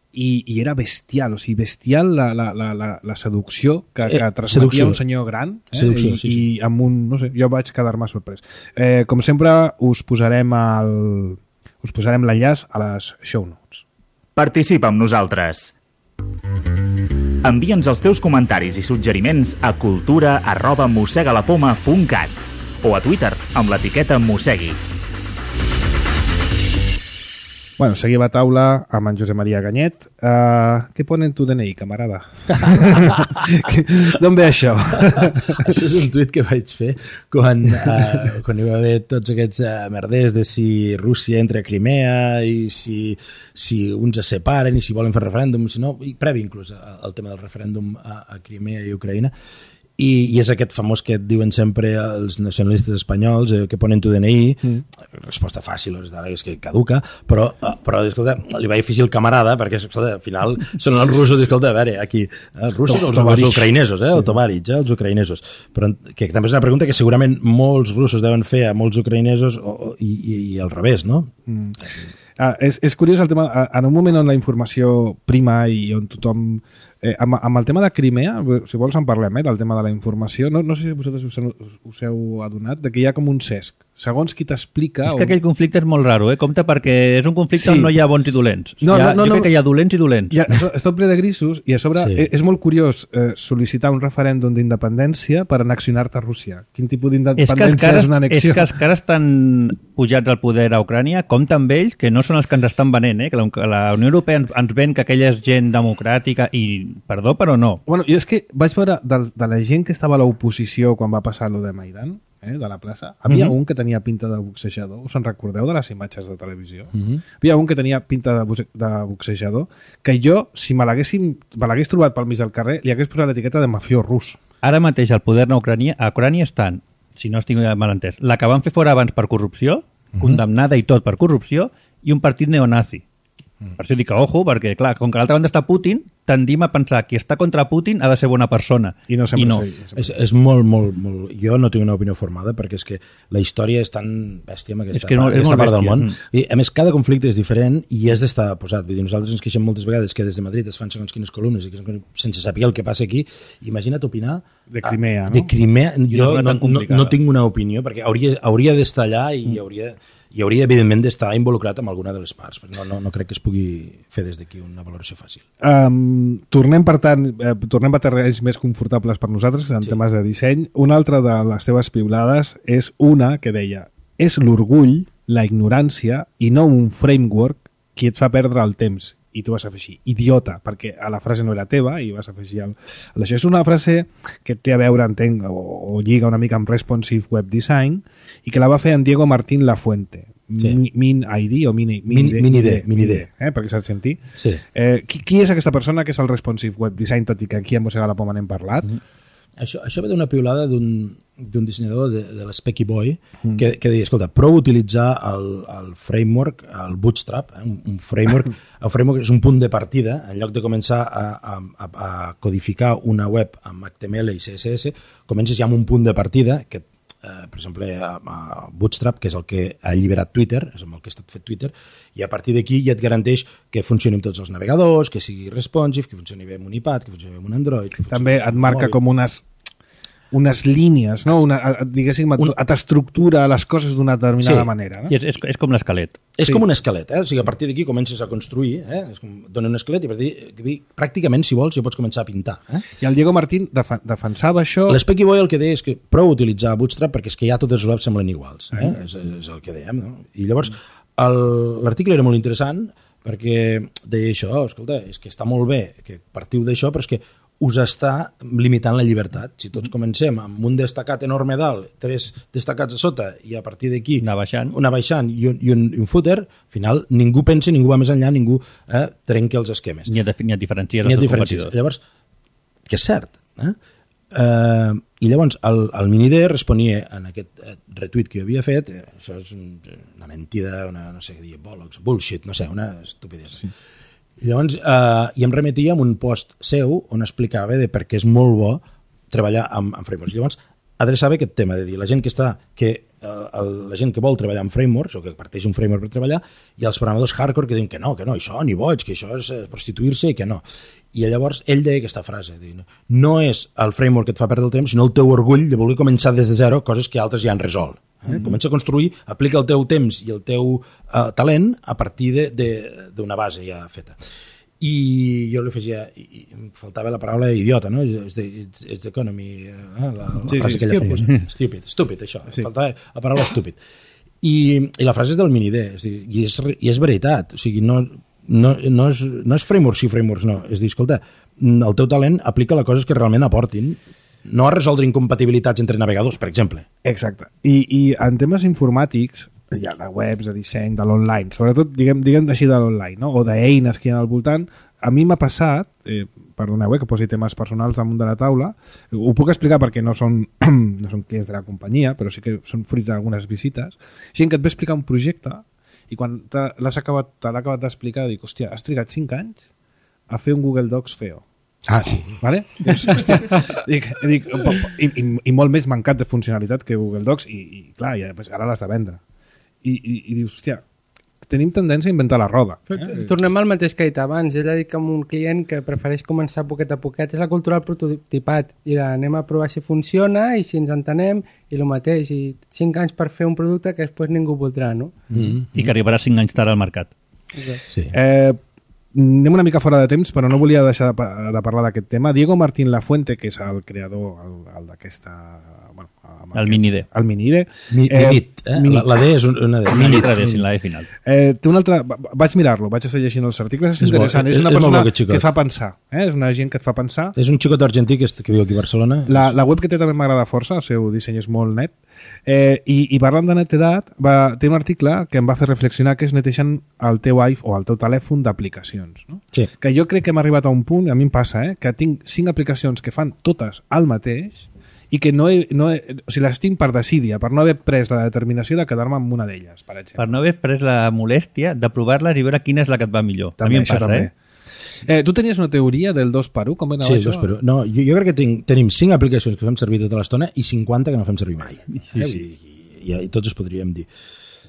I, i era bestial, o sigui, bestial la, la, la, la seducció que, que transmetia seducció. Un senyor gran eh? seducció, I, sí, sí. i amb un, no sé, jo vaig quedar-me sorprès. Eh, com sempre, us posarem el, us posarem l'enllaç a les show notes. Participa amb nosaltres. Envia'ns els teus comentaris i suggeriments a cultura arroba mossegalapoma punt cat o a Twitter amb l'etiqueta mossegui. Bueno, seguim a taula amb en Josep Maria Ganyet. Uh, què pone en tu D N I, camarada? D'on ve això? Això és un tuit que vaig fer quan, uh, quan hi va haver tots aquests uh, merders de si Rússia entra a Crimea i si, si uns es separen i si volen fer referèndum, si no, i previ inclús al tema del referèndum a, a Crimea i Ucraïna. I, i és aquest famós que et diuen sempre els nacionalistes espanyols eh, que ponen tu D N I, mm. resposta fàcil és que caduca, però, però escolta, li va difícil el camarada perquè escolta, al final són els russos, escolta, a veure aquí, els russos o els, els ucraïnesos eh, sí. o Tovarich, eh, els ucraïnesos però que també és una pregunta que segurament molts russos deuen fer a molts ucraïnesos o, o, i, i, i al revés, no? Mm. Ah, és, és curiós el tema, en un moment on la informació prima i on tothom Eh, amb, amb el tema de Crimea, si vols en parlem, eh, del tema de la informació, no, no sé si vosaltres us, us, us heu adonat de que hi ha com un cesc. Segons qui t'explica... És que aquell conflicte és molt raro, eh? Compte, perquè és un conflicte sí. on no hi ha bons i dolents. No, ha, no, no, jo crec no. que hi ha dolents i dolents. Ja, és tot ple de grisos i a sobre sí. és molt curiós eh, sol·licitar un referèndum d'independència per annexionar-te a Rússia. Quin tipus d'independència és, és una annexió? És que els que ara estan pujats al poder a Ucrània, compte amb ells, que no són els que ens estan venent, eh? Que la, la Unió Europea ens, ens ven que aquella és gent democràtica i, perdó, però no. Bueno, jo és que vaig veure de, de la gent que estava a l'oposició quan va passar lo de Maidan, eh, de la plaça, havia uh -huh. un que tenia pinta de boxejador. Us en recordeu de les imatges de televisió? Uh -huh. Havia un que tenia pinta de, de boxejador que jo, si me l'hagués trobat pel mig del carrer, li hagués posat l'etiqueta de mafiós rus. Ara mateix el poder a Ucrània, a Ucrània estan, si no estic mal entès, la que van fer fora abans per corrupció, uh -huh. condemnada i tot per corrupció, i un partit neonazi. Per això dic que, ojo, perquè, clar, com que a l'altra banda està Putin, tendim a pensar que qui està contra Putin ha de ser bona persona. I no sempre I no. sí. És, és molt, molt, molt... Jo no tinc una opinió formada, perquè és que la història és tan bèstia en aquesta, és que no, part, aquesta part bèstia. del món. Mm. I, a més, cada conflicte és diferent i és d'estar posat. Vull dir, nosaltres ens queixem moltes vegades que des de Madrid es fan segons quines columnes i que sense saber el que passa aquí. Imagina't opinar... De Crimea, no? De Crimea. Jo no, no, no tinc una opinió, perquè hauria, hauria d'estar allà i mm. hauria... i hauria, evidentment, d'estar involucrat amb alguna de les parts. No, no, no crec que es pugui fer des d'aquí una valoració fàcil. Um, tornem, per tant, eh, tornem a terrenys més confortables per nosaltres en sí. temes de disseny. Una altra de les teves piulades és una que deia: és l'orgull, la ignorància i no un framework qui et fa perdre el temps. I tu vas afegir idiota, perquè a la frase no era teva i vas afegir el, el això. És una frase que té a veure, entenc, o, o lliga una mica amb responsive web design i que la va fer en Diego Martín Lafuente. Sí. Min I D o Min, min, min, min I D, min I D. Eh, perquè saps sentir. Sí. Eh, qui, qui és aquesta persona que és el responsive web design, tot i que aquí a Mossega la Poma n'hem parlat? Mm-hmm. Això, això ve d'una piulada d'un d'un dissenyador de, de l'Specky Boy mm. que, que deia, escolta, prou utilitzar el, el framework, el Bootstrap, eh? un, un framework, el framework és un punt de partida, en lloc de començar a, a, a codificar una web amb H T M L i C S S, comences ja amb un punt de partida que, eh, per exemple, a, a Bootstrap, que és el que ha alliberat Twitter, és amb el que ha estat fet Twitter, i a partir d'aquí ja et garanteix que funcioni amb tots els navegadors, que sigui responsive, que funcioni bé amb un iPad, que funcioni bé amb un Android... També et marca com unes... unes línies, no? Una, diguéssim, et, et estructura les coses d'una determinada sí. manera. No? I és, és, és com l'esquelet. És sí. com un esquelet, eh? O sigui, a partir d'aquí comences a construir, eh? És com, dona un esquelet i a partir d'aquí, pràcticament, si vols, ja pots començar a pintar. Eh? I el Diego Martín def defensava això... L'Specky Boy el que deia és que prou utilitzar Bootstrap perquè és que ja totes les webs semblen iguals. Eh? Mm. És, és el que dèiem, no? I llavors, l'article era molt interessant perquè deia això, escolta, és que està molt bé que partiu d'això, però és que us està limitant la llibertat. Si tots comencem amb un destacat enorme dalt, tres destacats a sota, i a partir d'aquí anar baixant, una baixant i, un, i, un, i un footer, al final ningú pensa, ningú va més enllà, ningú eh, trenca els esquemes. Ni et, ni et diferencies ni els et diferencies. Llavors, que és cert. Eh? Uh, I llavors el, el Minidé responia en aquest eh, retuit que jo havia fet, eh, això és un, una mentida, una, no sé què dir, bollocks, bullshit, no sé, una estupidesa. Sí. I llavors, eh, i em remetia a un post seu on explicava de per què és molt bo treballar amb, amb frameworks. I llavors, adreçava aquest tema de dir la gent que està, que eh, el, la gent que vol treballar amb frameworks o que parteix un framework per treballar, i els programadors hardcore que diuen que no, que no, això ni boig, que això és prostituir-se i que no. I llavors ell deia aquesta frase, dir, no és el framework que et fa perdre el temps, sinó el teu orgull de voler començar des de zero coses que altres ja han resolt. Eh? Mm-hmm. Comença a construir, aplica el teu temps i el teu uh, talent a partir d'una base ja feta. I jo li afegia, i, i em faltava la paraula idiota, no? It's the, it's, it's the economy, eh? la, la sí, frase sí, aquella famosa. Stupid, stupid, això. Sí. Faltava la paraula stupid. I, i la frase és del Minidé, i és, i és veritat, o sigui, no, no, no, és, no és frameworks sí, frameworks no, és dir, escolta, el teu talent aplica les coses que realment aportin, no a resoldre incompatibilitats entre navegadors, per exemple. Exacte. I, i en temes informàtics, ja de webs, de disseny, de l'online, sobretot, diguem, diguem així de l'online, no? O d'eines que hi ha al voltant, a mi m'ha passat, eh, perdoneu eh, que posi temes personals damunt de la taula, ho puc explicar perquè no són, no són clients de la companyia, però sí que són fruit d'algunes visites, gent que et ve explicar un projecte i quan te l'has acabat, te l'ha acabat d'explicar dic, hòstia, has trigat cinc anys a fer un Google Docs feo. Ah, sí. Vale? Pues, hòstia, dic, dic, i, i, i molt més mancat de funcionalitat que Google Docs i, i clar, ja, pues, ara l'has de vendre. I, i, i dius, hòstia, tenim tendència a inventar la roda. Eh? Tornem al mateix que he dit abans. Ell ha dit que amb un client que prefereix començar poquet a poquet és la cultura del prototipat i de, anem a provar si funciona i si ens entenem i el mateix. I cinc anys per fer un producte que després ningú voldrà, no? Mm-hmm. I que arribarà cinc anys tard al mercat. Okay. Sí. Eh, anem una mica fora de temps, però no volia deixar de, de parlar d'aquest tema. Diego Martín Lafuente, que és el creador el, el d'aquesta... Bueno, el Mini-D. El Mini-D. Mi, eh, minit, eh? Minit. La, la D és una D. Minit, la D, sin la D final. Eh, té un altre... Vaig mirar-lo, vaig estar llegint els articles, és, és interessant. Bo, és, és una persona és que et fa pensar. Eh? És una gent que et fa pensar. És un xicot argentí que, que viu aquí a Barcelona. La, la web que té també m'agrada força, el seu disseny és molt net. Eh, i, I parlant de netedat, va, té un article que em va fer reflexionar que és neteixant el teu iPhone o el teu telèfon d'aplicacions. No? Sí. Que jo crec que hem arribat a un punt, a mi em passa, eh, que tinc cinc aplicacions que fan totes el mateix i que no he, no he, o sigui, les tinc per desídia, per no haver pres la determinació de quedar-me amb una d'elles, per exemple. Per no haver pres la molèstia de provar-les i veure quina és la que et va millor. També, a mi em passa, també. eh? Eh, tu tenies una teoria del dos per u? Com era sí, això? dos per u. No, jo, jo crec que tinc, tenim cinc aplicacions que fem servir tota l'estona i cinquanta que no fem servir mai. Sí, sí. I, i, i tots es podríem dir.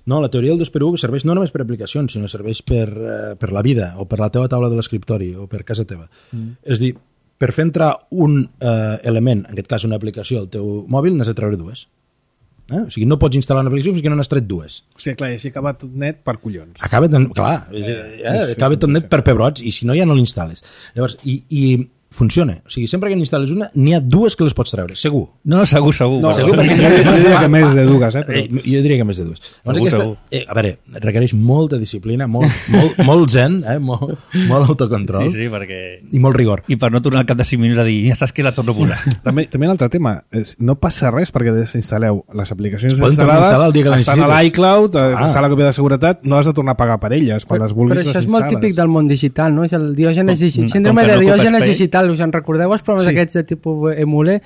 No, la teoria del dos per u serveix no només per aplicacions, sinó serveix per, uh, per la vida, o per la teva taula de l'escriptori, o per casa teva. Mm. És dir, per fer entrar un eh, element, en aquest cas una aplicació al teu mòbil, n'has de treure dues. Eh? O sigui, no pots instal·lar una aplicació fins que no n'has tret dues. O sigui, clar, i així acaba tot net per collons. Acaba, ten... clar, eh, eh, sí, acaba sí, tot net sí. per pebrots, i si no ja no l'instal·les. Llavors, i, i funciona. O sigui, sempre que n'instal·les una, n'hi ha dues que les pots treure, segur. No, no, segur, segur. No, segur, perquè jo, jo diria que més de dues, eh? Però... eh jo diria que més de dues. Llavors, segur, aquesta, segur. Eh, a veure, requereix molta disciplina, molt, molt, molt zen, eh? molt, molt autocontrol. Sí, sí, perquè... I molt rigor. I per no tornar al cap de cinc minuts a dir, ja saps que la torno a posar. també, també un altre tema, és, no passa res perquè desinstal·leu les aplicacions instal·lades, estan a l'iCloud, ah. està a la còpia de seguretat, no has de tornar a pagar per elles, quan però, les vulguis però això les és molt típic del món digital, no? És el diògenes no, síndrome de no diògenes digital, us en recordeu els programes sí. aquests de tipus emule,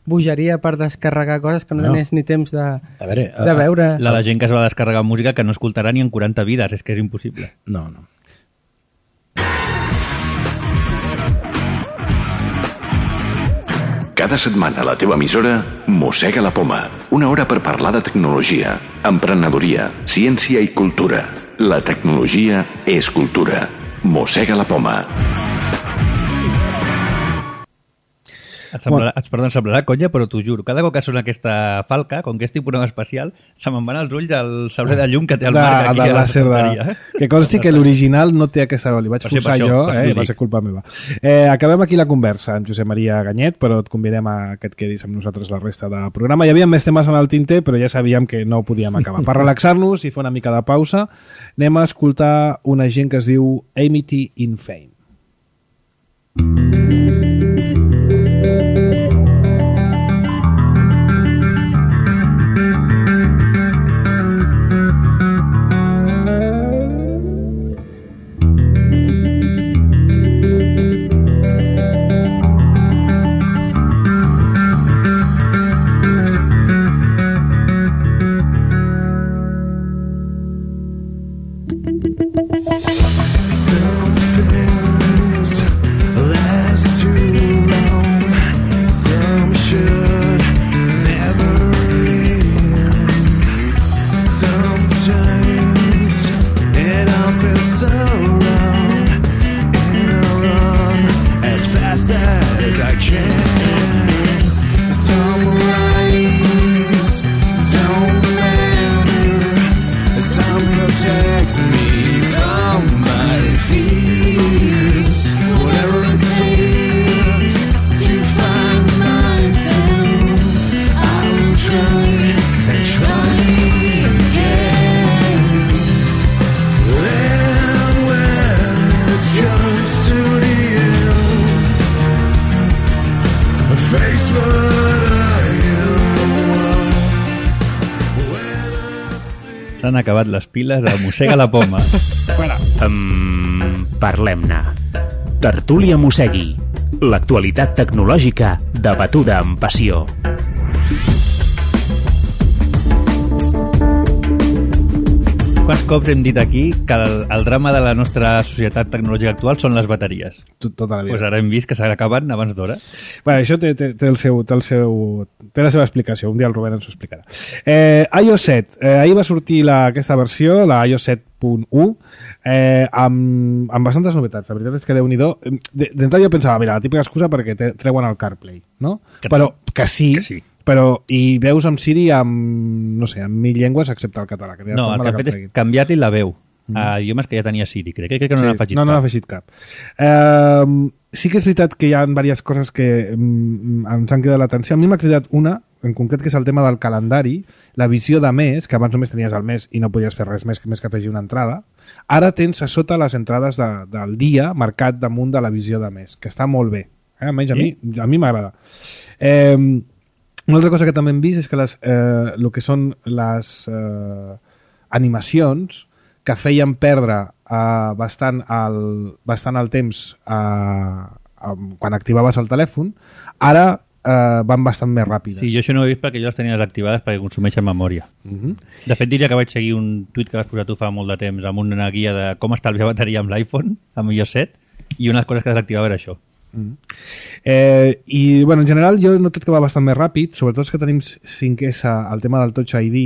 bogeria per descarregar coses que no, no. tenies ni temps de, a veure, a, de veure. La, la gent que es va descarregar música que no escoltarà ni en quaranta vides, és que és impossible. No, no. Cada setmana a la teva emissora Mossega la Poma. Una hora per parlar de tecnologia, emprenedoria, ciència i cultura. La tecnologia és cultura. Mossega la Poma. Et, semblarà, et, perdó, em semblarà conya, però t'ho juro, cada cop que sona aquesta falca, com que és tipus especial, se me'n van als ulls el sabre de llum que té el de, Marc aquí de a la secretaria. De... Que consti que l'original no té aquesta... Li vaig forçar jo, eh? Va ser culpa meva. Eh, acabem aquí la conversa amb Josep Maria Ganyet, però et convidem a que et quedis amb nosaltres la resta del programa. Hi havia més temes en el tinter, però ja sabíem que no ho podíem acabar. Per relaxar-nos i fer una mica de pausa, anem a escoltar una gent que es diu Amity in Fame. S'han acabat les piles de Mossega la Poma. Um, Parlem-ne. Tertúlia Mossegui. L'actualitat tecnològica debatuda amb passió. quants cops hem dit aquí que el, el drama de la nostra societat tecnològica actual són les bateries. Tot, tota la vida. Pues ara hem vist que s'acaben abans d'hora. Bueno, això té, té, té, el seu, té, el seu, té la seva explicació. Un dia el Rubén ens ho explicarà. Eh, iOS set. Eh, ahir va sortir la, aquesta versió, la iOS set punt u, eh, amb, amb bastantes novetats. La veritat és que Déu-n'hi-do. D'entrada jo pensava, mira, la típica excusa perquè te, treuen el CarPlay, no? Que Però que sí, que sí. Però i veus amb Siri amb, no sé, amb mil llengües excepte el català. Que no, el que ha fet és canviar-li la veu mm. a idiomes que ja tenia Siri. Crec, crec que no sí, n'ha afegit no, cap. No n'ha afegit cap. Eh, sí que és veritat que hi ha diverses coses que mm, ens han cridat l'atenció. A mi m'ha cridat una, en concret, que és el tema del calendari, la visió de mes, que abans només tenies el mes i no podies fer res més que més que afegir una entrada. Ara tens a sota les entrades de, del dia marcat damunt de la visió de mes, que està molt bé. Eh? Almenys a sí? mi a mi m'agrada. Eh, Una altra cosa que també hem vist és que les, eh, el que són les eh, animacions que feien perdre eh, bastant, el, bastant el temps eh, eh, quan activaves el telèfon, ara eh, van bastant més ràpides. Sí, jo això no ho he vist perquè jo les tenia desactivades perquè consumeixen memòria. Uh-huh. De fet, diria que vaig seguir un tuit que vas posar tu fa molt de temps amb una guia de com estalviar bateria amb l'iPhone, amb iOS set, i una de les coses que desactivava era això. Mm. Eh, i bueno, en general jo he notat que va bastant més ràpid, sobretot els que tenim cinc essa, el tema del Touch I D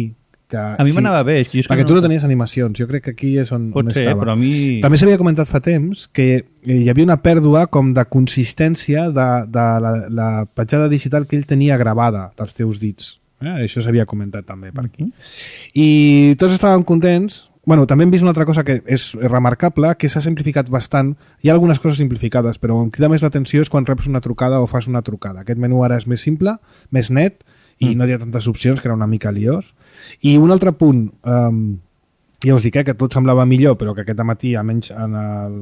que, a mi sí, m'anava bé és perquè no... tu no tenies animacions, jo crec que aquí és on, Pot on ser, estava però a mi... també s'havia comentat fa temps que hi havia una pèrdua com de consistència de, de la, la petjada digital que ell tenia gravada dels teus dits, eh? Això s'havia comentat també per aquí mm-hmm. i tots estàvem contents. Bueno, també hem vist una altra cosa que és remarcable, que s'ha simplificat bastant. Hi ha algunes coses simplificades, però on crida més l'atenció és quan reps una trucada o fas una trucada. Aquest menú ara és més simple, més net, i mm. no hi ha tantes opcions, que era una mica liós. I un altre punt, um, ja us dic eh, que tot semblava millor, però que aquest matí, almenys en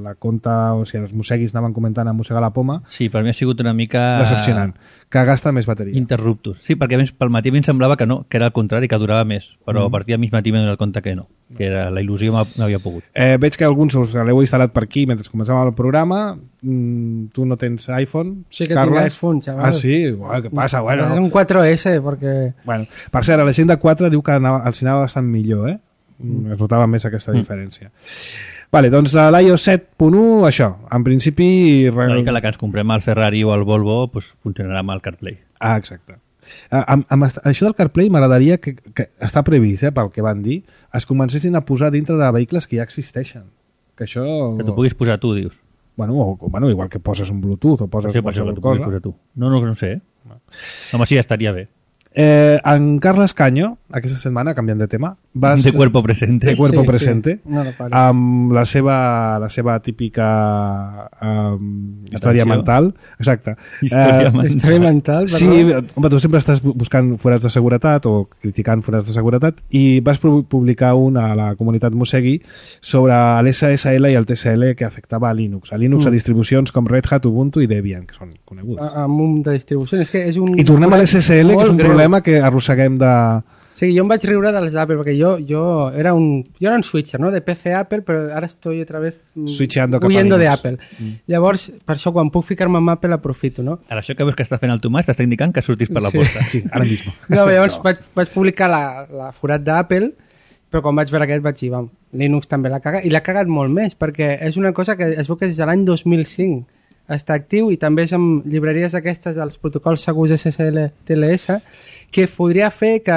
la compta, o sigui, els mosseguis anaven comentant a mossegar la poma. Sí, per mi ha sigut una mica... decepcionant, que gasta més bateria. Interruptus. Sí, perquè més, pel matí a mi em semblava que no, que era el contrari, que durava més, però mm. a partir de mig matí m'he donat compte que no, que era, la il·lusió m'havia pogut. Eh, veig que alguns us l'heu instal·lat per aquí mentre començàvem el programa. Mm, tu no tens iPhone, Sí que Carles? tinc iPhone, xaval. Ah, sí? Uau, què passa? Bueno. És un quatre essa, perquè... Bueno, per cert, la gent de quatre diu que anava, els anava bastant millor, eh? Mm. Es notava més aquesta diferència. Mm. Vale, doncs de l'iOS set punt u, això, en principi... Una mica la que ens comprem al Ferrari o al Volvo pues, funcionarà amb el CarPlay. Ah, exacte. Amb, amb això del CarPlay m'agradaria que, que està previst, eh, pel que van dir, es comencessin a posar dintre de vehicles que ja existeixen. Que això... Que t'ho puguis posar tu, dius. Bueno, o, bueno, igual que poses un Bluetooth o poses sí, qualsevol això, cosa. Posar tu. No, no, no sé. No. Home, sí, estaria bé. Eh, en Carles Caño, aquesta setmana, canviant de tema, vas... De cuerpo presente. De cuerpo sí, presente. Sí. No, no amb la seva, la seva típica um, història mental. Exacte. Història uh, mental. Història mental, perdó. Sí, home, tu sempre estàs buscant forats de seguretat o criticant forats de seguretat i vas publicar un a la comunitat Mossegui sobre l'S S L i el T S L que afectava a Linux. A Linux mm. a distribucions com Red Hat, Ubuntu i Debian, que són conegudes. A, amb un de distribucions. És que és un I tornem a l'S S L, que és un greu. problema que arrosseguem de... Sí, jo em vaig riure dels d'Apple, perquè jo, jo, era un, jo era un switcher, ¿no? De P C Apple, però ara estoy otra vez Switcheando cap a huyendo de Linux. Apple. Mm. Llavors, per això, quan puc ficar-me amb Apple, aprofito, no? Ara això que veus que està fent el Tomàs t'està indicant que surtis per la Sí. porta. Sí, ara mismo. No, llavors no. Vaig, vaig publicar la, la forat d'Apple, però quan vaig veure aquest vaig dir, vam, Linux també l'ha cagat, i l'ha cagat molt més, perquè és una cosa que es veu que des de l'any dos mil cinc està actiu i també és amb llibreries aquestes dels protocols segurs S S L T L S que podria fer que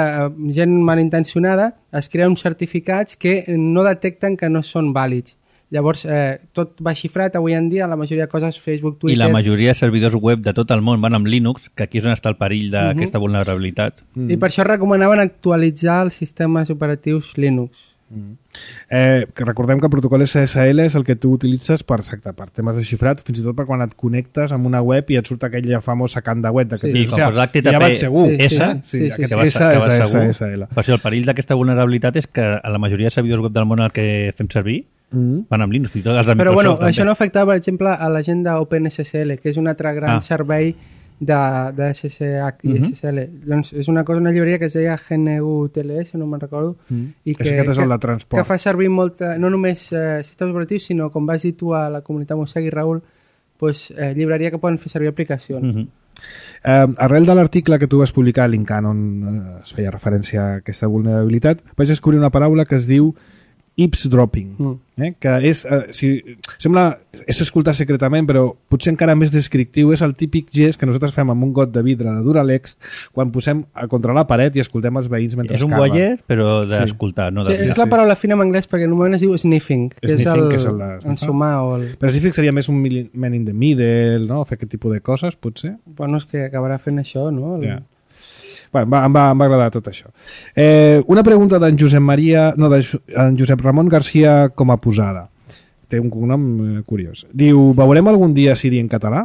gent malintencionada es crea uns certificats que no detecten que no són vàlids. Llavors, eh, tot va xifrat avui en dia, la majoria de coses, Facebook, Twitter... I la majoria de servidors web de tot el món van amb Linux, que aquí és on està el perill d'aquesta uh-huh. vulnerabilitat. Mm. I per això recomanaven actualitzar els sistemes operatius Linux. Mm. Eh, que recordem que el protocol S S L és el que tu utilitzes per, exacte, per temes de xifrat, fins i tot per quan et connectes amb una web i et surt aquella famosa can de web de que Sí. tu I dius, com ja, posa l'H T T P ja vaig segur. Sí, S, sí, sí, sí, aquest que vas, S que vas és segur. S S L. Per això el perill d'aquesta vulnerabilitat és que a la majoria de servidors web del món el que fem servir Mm. van amb Linux. I tot els de Però Microsoft, bueno, també. això no afectava, per exemple, a la gent d'OpenSSL, que és un altre gran Ah. servei de, de S S H i Mhm. S S L. Doncs és una cosa, una llibreria que es deia G N U T L S, no me'n recordo, Mm. i És que, aquest és el que, de transport. que fa servir molta, no només eh, sistemes operatius, sinó, com vas dir tu a la comunitat Mossegui, Raül, pues, eh, llibreria que poden fer servir aplicacions. Mhm. Eh, arrel de l'article que tu vas publicar a Linkan on eh, es feia referència a aquesta vulnerabilitat, vaig descobrir una paraula que es diu eavesdropping, mm. eh? que és, eh, si, sembla, és escoltar secretament, però potser encara més descriptiu, és el típic gest que nosaltres fem amb un got de vidre de Duralex quan posem a contra la paret i escoltem els veïns mentre és un caven. voyeur, però d'escoltar, sí. no de sí, és la paraula fina en anglès perquè normalment es diu sniffing, que sniffing, és el, que és el de, ensumar o el... Però sniffing seria més un man in the middle, no? Fer aquest tipus de coses, potser. Bueno, és que acabarà fent això, no? El... Yeah. Bueno, em, va, em va agradar tot això. Eh, una pregunta d'en Josep Maria, no, d'en Josep Ramon Garcia com a posada. Té un cognom eh, curiós. Diu, veurem algun dia Siri en català?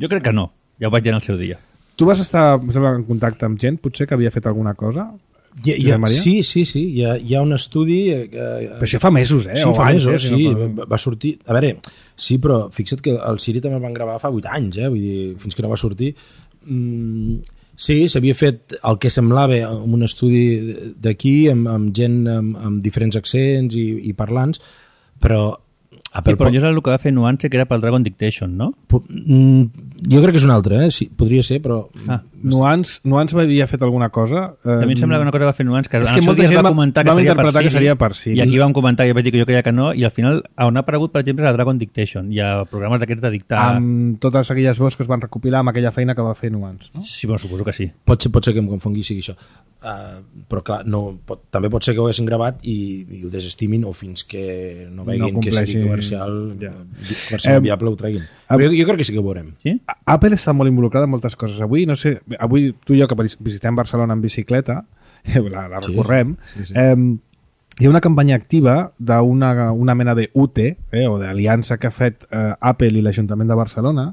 Jo crec que no. Ja ho vaig dir en el seu dia. Tu vas estar en contacte amb gent, potser, que havia fet alguna cosa? Ja, ja, sí, sí, sí. Hi ha, hi ha un estudi... Eh, però això fa mesos, eh? Sí, o fa anys, mesos, eh? sí. No Va, va sortir... A veure, sí, però fixa't que el Siri també el van gravar fa vuit anys, eh? Vull dir, fins que no va sortir... Mm, sí, s'havia fet el que semblava un estudi d'aquí amb, amb gent amb, amb diferents accents i, i parlants, però Apple sí, però jo és el que va fer Nuance, que era pel Dragon Dictation, no? Jo crec que és un altre, eh? Sí, podria ser, però... Ah. Nuance, Nuance havia fet alguna cosa? Eh... A mi em sembla que una cosa va fer Nuance, que és en que el seu dia gent va comentar que, vam seria interpretar per que seria per Siri. I aquí vam comentar, i vaig dir que jo creia que no, i al final on ha aparegut, per exemple, és a Dragon Dictation. Hi ha programes d'aquests de dictar... Amb totes aquelles veus que es van recopilar amb aquella feina que va fer Nuance, no? Sí, bueno, suposo que sí. Pot ser, pot ser que em confongui, sigui això. Uh, però clar, no, pot, també pot ser que ho haguessin gravat i, i ho desestimin o fins que no veguin no que sigui comercial, ja. comercial eh, viable ho treguin. Però jo, jo crec que sí que ho veurem. Sí? Apple està molt involucrada en moltes coses. Avui, no sé, avui tu i jo que visitem Barcelona en bicicleta, la, la recorrem, sí, sí, sí. Eh, hi ha una campanya activa d'una una mena de U T, eh, o d'aliança que ha fet eh, Apple i l'Ajuntament de Barcelona,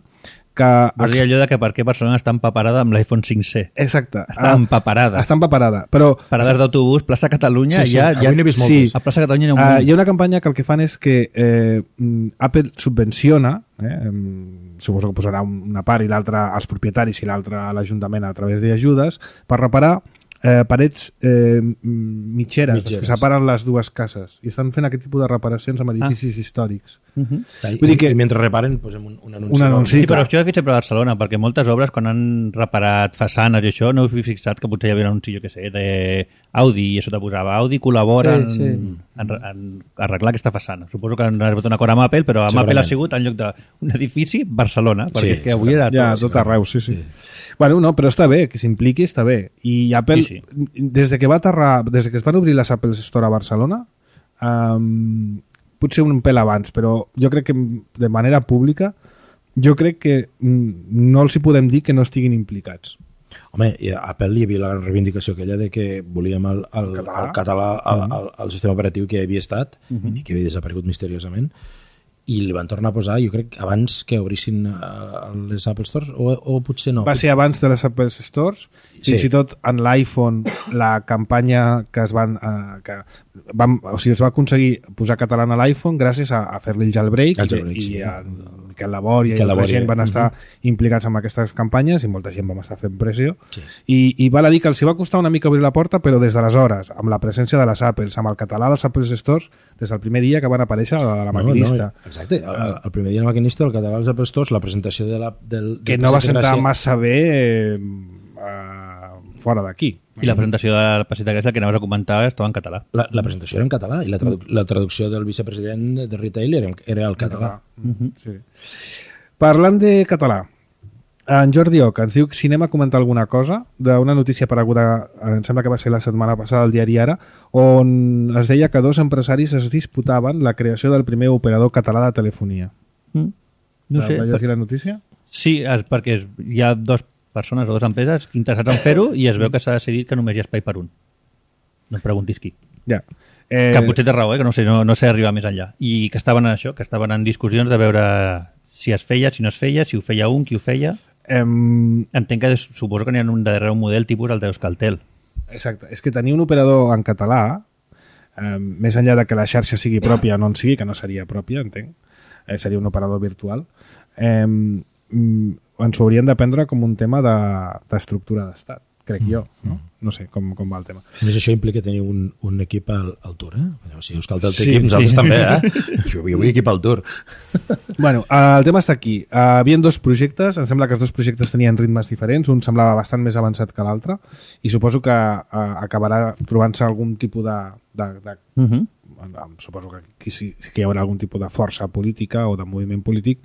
que... Vols dir allò de que per què Barcelona està empaparada amb l'iPhone cinc C. Exacte. Està empaparada. Està empaparada, però... Parades d'autobús, plaça Catalunya, sí, sí. ja... ja... Vist sí. A plaça Catalunya hi ha un... Uh, hi ha una campanya que el que fan és que eh, Apple subvenciona, eh, suposo que posarà una part i l'altra als propietaris i l'altra a l'Ajuntament a través d'ajudes, per reparar eh, parets eh, mitgeres, mitgeres, que separen les dues cases, i estan fent aquest tipus de reparacions amb edificis ah. històrics. Uh -huh. Vull dir que... I mentre reparen posem un, un anunci. Un anunci, sí, però això ho he fet sempre a Barcelona, perquè moltes obres, quan han reparat façanes i això, no heu fixat que potser hi havia un anunci, jo què sé, d'Audi, i això te posava Audi col·labora sí, sí. En, en, en arreglar aquesta façana. Suposo que han arribat un acord amb Apple, però amb Apple ha sigut en lloc d'un edifici, Barcelona, perquè sí. és que avui era tot. Ja, tot arreu, sí, sí. sí. Bueno, no, però està bé, que s'impliqui està bé. I Apple, sí, sí. des de que va aterrar, des de que es van obrir les Apple Store a Barcelona, um, potser un pèl abans, però jo crec que de manera pública jo crec que no els hi podem dir que no estiguin implicats. Home, a Apple hi havia la reivindicació aquella de que volíem el, el, el català, el, català el, el, el sistema operatiu que havia estat uh -huh. i que havia desaparegut misteriosament, i li van tornar a posar, jo crec, abans que obrissin uh, les Apple Stores, o, o potser no. Va ser abans de les Apple Stores, sí. Fins i tot en l'iPhone, la campanya que es van... Uh, que vam, o sigui, es va aconseguir posar català a l'iPhone gràcies a, a fer-li el jailbreak, el jailbreak i, sí. i a Miquel Labor i altra Labor, gent van estar uh -huh. implicats en aquestes campanyes i molta gent vam estar fent pressió. Sí. I, I val a dir que els hi va costar una mica obrir la porta, però des d'aleshores, amb la presència de les Apples, amb el català dels Apple Stores, des del primer dia que van aparèixer a la maquinista. No, no, exacte, el, el primer dia a la maquinista, el català dels Apple Stores, la presentació de la... Del, que no va sentar massa bé... Eh, fora d'aquí. I la presentació de la Pasita Grècia que anaves a comentar estava en català. La, la presentació era en català i la, tradu la traducció del vicepresident de retail era, era el català. Uh -huh. Sí. Parlant de català, en Jordi Oca ens diu que si anem a comentar alguna cosa d'una notícia apareguda, em sembla que va ser la setmana passada al diari Ara, on es deia que dos empresaris es disputaven la creació del primer operador català de telefonia. Mm. No sé. Va llegir la notícia? Sí, perquè hi ha dos persones o dues empreses interessats en fer-ho i es veu que s'ha decidit que només hi ha espai per un. No em preguntis qui. Ja. Eh... Que potser té raó, eh? que no sé, no, no sé arribar més enllà. I que estaven en això, que estaven en discussions de veure si es feia, si no es feia, si ho feia un, qui ho feia. Em... Entenc que suposo que n'hi ha un darrere un model tipus el d'Euskaltel. Exacte. És que tenir un operador en català, eh, més enllà de que la xarxa sigui pròpia o no en sigui, que no seria pròpia, entenc, eh, seria un operador virtual, eh, ens ho haurien de prendre com un tema d'estructura de, d'estat. crec mm. jo. No, no sé com, com va el tema. A més, això implica tenir un, un equip al, al Tour, eh? Si us cal el sí, equip, nosaltres sí. també, eh? Jo, jo vull equip al Tour. Bueno, el tema està aquí. Uh, havien dos projectes, em sembla que els dos projectes tenien ritmes diferents, un semblava bastant més avançat que l'altre, i suposo que uh, acabarà trobant-se algun tipus de... de, de uh -huh. Suposo que aquí sí, sí que hi haurà algun tipus de força política o de moviment polític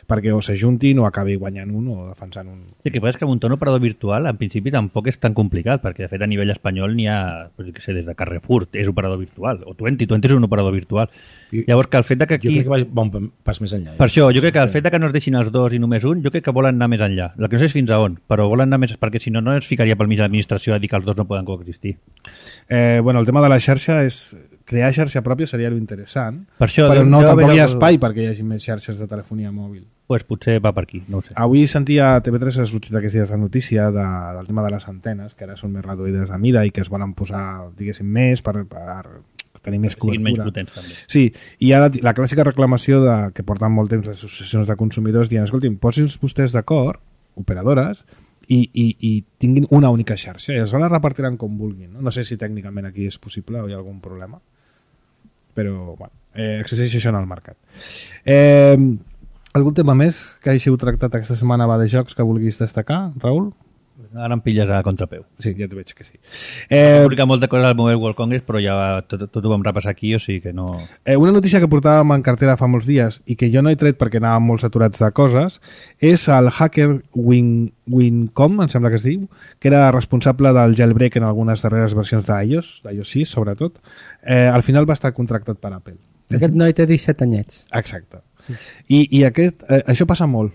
perquè o s'ajuntin o acabi guanyant un o defensant un... Sí, que passa que muntar un operador virtual en principi tampoc és tan complicat, perquè de fet a nivell espanyol n'hi ha, pues, que sé, des de Carrefour és operador virtual, o Twenty, Twenty és un operador virtual. I, Llavors que el fet de que aquí... Jo crec que va un pas més enllà. Eh? Per això, jo crec que el fet de que no es deixin els dos i només un, jo crec que volen anar més enllà. El que no sé és fins a on, però volen anar més... perquè si no, no es ficaria pel mig de l'administració a dir que els dos no poden coexistir. Eh, bueno, el tema de la xarxa és... Crear xarxa pròpia seria lo interessant, per això, però deu, no deu tampoc hi ha el... espai perquè hi hagi més xarxes de telefonia mòbil. Pues potser va per aquí, no ho sé. Avui sentia a T V tres ha sortit aquests dies la notícia de, del tema de les antenes, que ara són més reduïdes de mida i que es volen posar, diguéssim, més per, per tenir més cobertura. Menys potents, també. Sí, i hi ha la, la clàssica reclamació de, que porten molt temps les associacions de consumidors dient, escolti'm, posin-se vostès d'acord, operadores, i, i, i tinguin una única xarxa i es la repartiran com vulguin. No? No sé si tècnicament aquí és possible o hi ha algun problema, però bueno, eh, existeix això en el mercat. Eh, algun tema més que hagi tractat aquesta setmana va de jocs que vulguis destacar, Raül? Ara em pilles a contrapeu. Sí, ja t'ho veig que sí. Eh, He publicat molta cosa al Mobile World Congress, però ja tot, tot ho vam repassar aquí, o sigui que no... Eh, una notícia que portàvem en cartera fa molts dies i que jo no he tret perquè anàvem molt saturats de coses és el hacker Win, Wincom, em sembla que es diu, que era responsable del jailbreak en algunes darreres versions d'iOS, d'iOS sis sobretot. Eh, al final va estar contractat per Apple. Aquest noi té disset anyets. Exacte. Sí. I, i aquest, eh, això passa molt.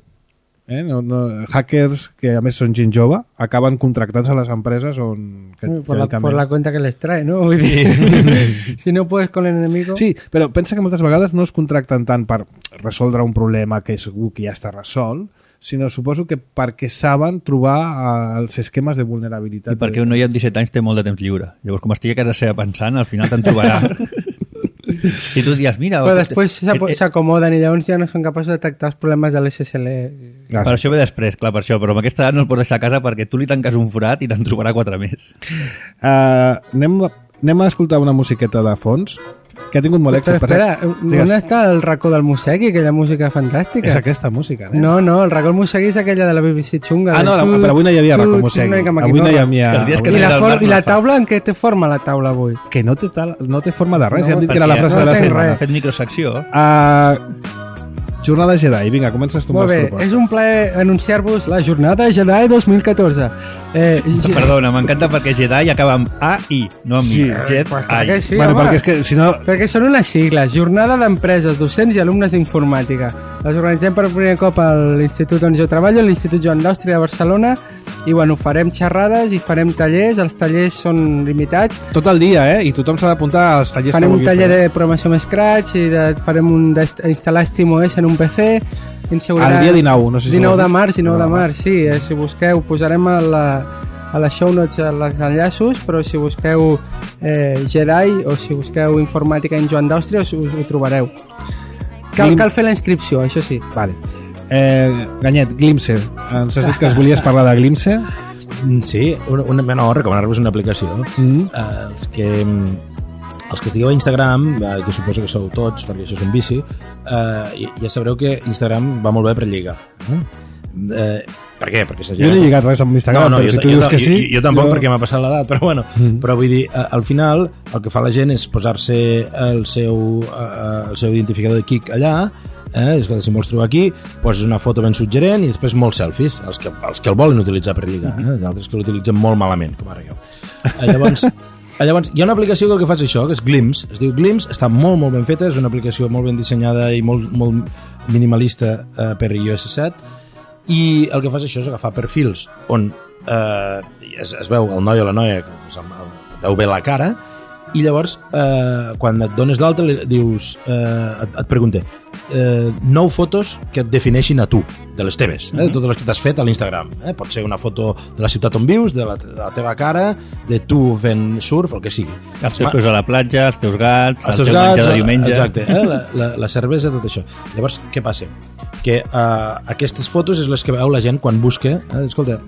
Eh? No, no, hackers que a més són gent jove acaben contractats a les empreses on... Que, por, la, por la cuenta que les trae, ¿no? Vull dir, si no puedes con el enemigo... Sí, però pensa que moltes vegades no es contracten tant per resoldre un problema que segur que ja està resolt, sinó suposo que perquè saben trobar uh, els esquemes de vulnerabilitat. I perquè un noi amb disset anys té molt de temps lliure. Llavors, com estigui a casa seva pensant, al final te'n trobarà. I tu dius, mira... Però després s'acomoden i llavors ja no són capaços de detectar els problemes de l'S S L. Per això ve després, clar, per això, però amb aquesta edat no el pots deixar a casa perquè tu li tanques un forat i te'n trobarà quatre més. Uh, anem, anem a escoltar una musiqueta de fons que ha tingut molt èxit. Però espera, on està el racó del Mosegui, aquella música fantàstica? És aquesta música, eh? No, no, el racó del Mosegui és aquella de la B B C xunga. Ah, no, la, però avui no hi havia racó Mosegui. Avui no hi havia... I, la for, I la taula, en què té forma la taula avui? Que no té, tal, no té forma de res, no, ja hem dit que era la frase no de la setmana. Ha fet microsecció. Uh, Jornada Jedi, vinga, comences tu amb les propostes. Molt bé, és un plaer anunciar-vos la Jornada Jedi dos mil catorze. Eh, Perdona, m'encanta perquè Jedi acaba amb A I, no amb sí. I. Jedi. Pues perquè sí, bueno, home, perquè, és que, si no... perquè són unes sigles, Jornada d'Empreses, Docents i Alumnes d'Informàtica. Les organitzem per primer cop a l'Institut on jo treballo, l'Institut Joan d'Àustria de Barcelona, i bueno, farem xerrades i farem tallers, els tallers són limitats. Tot el dia, eh? I tothom s'ha d'apuntar als tallers farem que vulgui fer. Farem un taller de programació amb Scratch i de, farem un d'instal·lar SteamOS en un P C. El dia dinou, no sé si dinou de març, dinou de març, sí, eh, si busqueu, posarem a la, a les show notes els enllaços, però si busqueu eh, Jedi o si busqueu informàtica en Joan d'Àustria us, us ho trobareu. Cal, cal fer la inscripció, això sí. Vale. Eh, Ganyet, Glimpse, ens has dit que es volies parlar de Glimpse? Sí, una, una, no, recomanar-vos una aplicació. Mm. Eh, els que... Els que estigueu a Instagram, eh, que suposo que sou tots, perquè això és un vici, eh, ja sabreu que Instagram va molt bé per lligar. Eh? Eh, per què? Perquè jo no he lligat res amb Instagram, no, no, però jo, si tu jo, dius jo, que sí... Jo, jo tampoc, jo... perquè m'ha passat l'edat, però bueno, mm. però vull dir, eh, al final, el que fa la gent és posar-se el seu, eh, el seu identificador de Kik allà, eh, és que si vols trobar aquí, poses una foto ben suggerent i després molts selfies, els que, els que el volen utilitzar per lligar, eh? Els altres que l'utilitzen molt malament, com ara jo. Eh, llavors... Llavors, hi ha una aplicació que el que fa és això, que és Glimpse. Es diu Glimpse, està molt, molt ben feta, és una aplicació molt ben dissenyada i molt, molt minimalista eh, per i o essa set, i el que fa és això, és agafar perfils on eh, es, es veu el noi o la noia, que veu bé la cara, i llavors, eh, quan et dones d'alta, dius, eh, et, et pregunta, eh, nou fotos que et defineixin a tu, de les teves, eh? De totes les que t'has fet a l'Instagram. Eh? Pot ser una foto de la ciutat on vius, de la, de la teva cara, de tu fent surf, el que sigui. Els teus peus a la platja, els teus gats, els el teus teu gats, menjar de diumenge... Exacte, eh? la, la, la cervesa, tot això. Llavors, què passa? Que uh, aquestes fotos és les que veu la gent quan busca, eh? Escolta,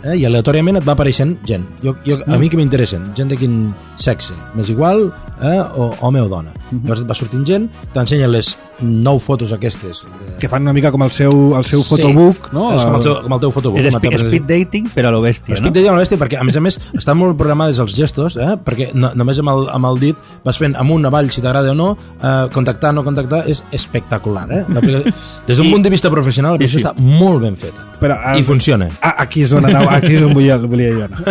eh? i aleatòriament et va apareixent gent. Jo, jo, a mi que m'interessen, gent de quin sexe, m'és igual, eh? o home o dona. Uh-huh. Llavors et va sortint gent, t'ensenyen les nou fotos aquestes. Eh... Que fan una mica com el seu, el seu sí, fotobook, no? És com el, seu, com el teu fotobook. És speed, speed dating, però a lo bèstia, no? Speed dating a lo bèstia, perquè a més a més estan molt programades els gestos, eh? Perquè no, només amb el, amb el dit vas fent amunt, avall, si t'agrada o no, eh, contactar, no contactar, és espectacular, eh? Des d'un punt de vista professional, això sí. Està molt ben feta. Però, uh, I funciona. Ah, aquí és on anava, aquí és on volia, volia jo anar.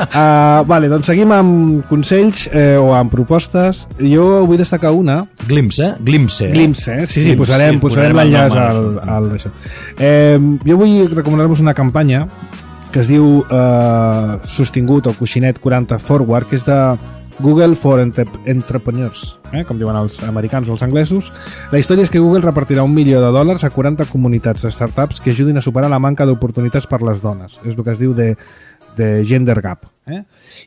Uh, vale, doncs seguim amb consells eh, o amb propostes. Jo vull destacar una. Glimpse, eh? Glimpse. Glimpse, eh? Sí, sí, posarem, sí, posarem l'enllaç al, al això. Eh, jo vull recomanar-vos una campanya que es diu eh, Sostingut o Coixinet quaranta Forward, que és de Google for Entrepreneurs, eh? Com diuen els americans o els anglesos. La història és que Google repartirà un milió de dòlars a quaranta comunitats de startups que ajudin a superar la manca d'oportunitats per les dones. És el que es diu de, de Gender Gap. Eh?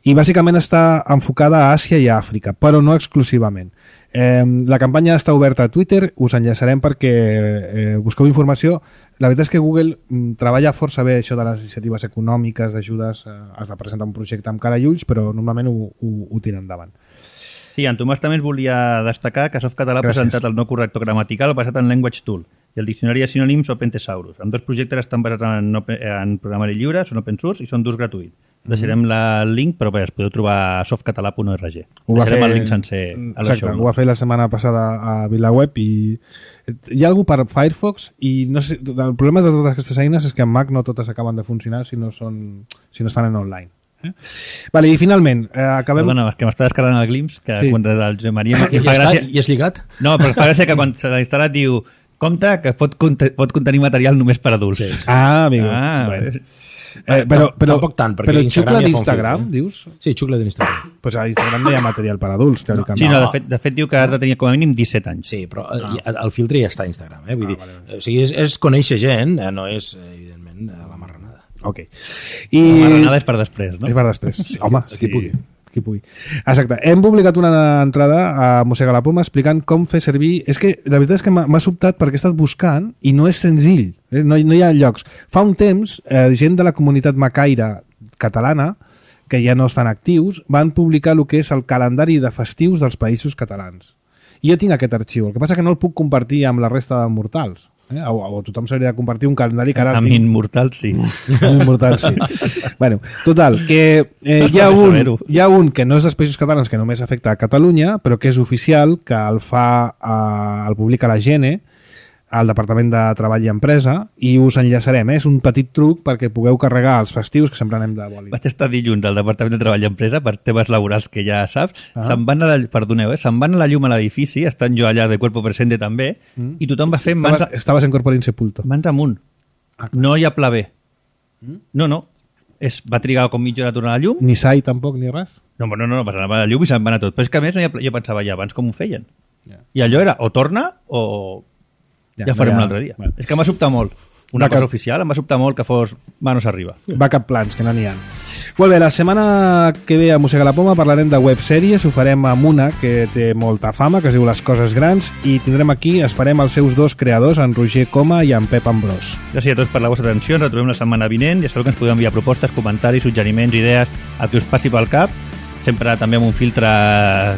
I bàsicament està enfocada a Àsia i a Àfrica, però no exclusivament. Eh, la campanya està oberta a Twitter, us enllaçarem perquè eh, busqueu informació. La veritat és que Google mm, treballa força bé això de les iniciatives econòmiques, d'ajudes, eh, has de presentar un projecte amb cara i ulls, però normalment ho, ho, ho tira endavant. Sí, en Tomàs també volia destacar que Softcatalà ha presentat el nou corrector gramatical basat en Language Tool i el diccionari de sinònims Open Thesaurus. Amb dos projectes estan basats en, en programari lliure, són open source i són d'ús gratuït. Deixarem la, el link, però bé, es podeu trobar a softcatalà punt org. Deixarem el link sencer a la show. Ho va fer la setmana passada a VilaWeb i hi ha algú per Firefox i no sé, el problema de totes aquestes eines és que en Mac no totes acaben de funcionar si no, són, si no estan en online. Eh? Vale, i finalment eh, acabem... Perdona, que m'està descarregant el Glimpse, que sí. Quan el Josep Maria... I, ja gràcia... I és lligat? No, però fa gràcia que quan s'ha instal·lat diu compte que pot, pot contenir material només per adults. Sí. Ah, amigo. Ah, bueno. Eh, però, però, tampoc tant, perquè però xucla ja d'Instagram, eh? dius? Sí, xucla d'Instagram. Pues a Instagram no hi ha material per adults, teòricament. Sí, no, de fet, de fet diu que has de tenir com a mínim disset anys. Sí, però no. el filtre ja està a Instagram. Eh? Vull ah, dir, vale, vale. O sigui, és, és conèixer gent, eh? No és, evidentment, la marranada. Ok. I... La marranada és per després, no? És per després. Sí, home, qui sí. pugui. Qui pugui. Exacte. Hem publicat una entrada a Mossega la Poma explicant com fer servir... És que la veritat és que m'ha sobtat perquè he estat buscant i no és senzill. No, no hi ha llocs. Fa un temps, eh, gent de la comunitat macaire catalana, que ja no estan actius, van publicar el que és el calendari de festius dels països catalans. I jo tinc aquest arxiu. El que passa que no el puc compartir amb la resta de mortals. Eh? O, o tothom s'hauria de compartir un calendari que ara... Amb immortals, sí. Amb immortals, sí. Bueno, total, que eh, no hi, ha un, hi ha un que no és dels països catalans, que només afecta a Catalunya, però que és oficial, que el fa, eh, el publica la Gene, al Departament de Treball i Empresa, i us enllaçarem. Eh? És un petit truc perquè pugueu carregar els festius, que sempre anem de boli. Vaig estar dilluns al Departament de Treball i Empresa per temes laborals que ja saps. Ah. Se'n van a la, perdoneu, eh? Se'n van a la llum a l'edifici, estan jo allà de cuerpo presente també, mm. i tothom va fer mans... Estaves, estaves en corpore insepulto. Mans amunt. Ah, no hi ha pla B. Mm? No, no. Es, va trigar com mitja hora a tornar a la llum. Ni sai tampoc, ni res. No, no, no, no va a la llum i se'n van a tot. Però és que a més no hi ha pla... jo pensava ja abans com ho feien. Yeah. I allò era o torna o... Ja, ja farem no ha... un altre dia. Bueno. És que m'ha sobtat molt. Una Backup... cosa oficial, em va sobtar molt que fos manos arriba. Backup plans, que no n'hi ha. Molt bé, la setmana que ve a Mossega la Poma parlarem de websèries, ho farem amb una que té molta fama, que es diu Les Coses Grans, i tindrem aquí, esperem els seus dos creadors, en Roger Coma i en Pep Ambrós. Gràcies a tots per la vostra atenció, ens retrobem la setmana vinent, ja sabeu que ens podeu enviar propostes, comentaris, suggeriments, idees, el que us passi pel cap, sempre també amb un filtre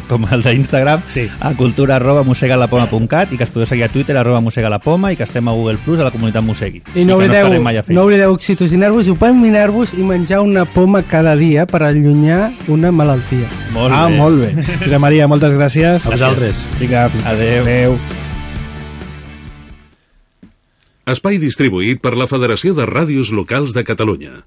com el d'Instagram, sí. A cultura arroba mossegalapoma punt cat i que es podeu seguir a Twitter arroba mossegalapoma i que estem a Google Plus a la comunitat Mossegui. I no oblideu, no, no oblideu oxitocinar-vos i opaminar-vos i menjar una poma cada dia per allunyar una malaltia. Molt ah, bé. Molt bé. Josep Maria, moltes gràcies. A vosaltres. Vinga, adéu. adéu. Espai distribuït per la Federació de Ràdios Locals de Catalunya.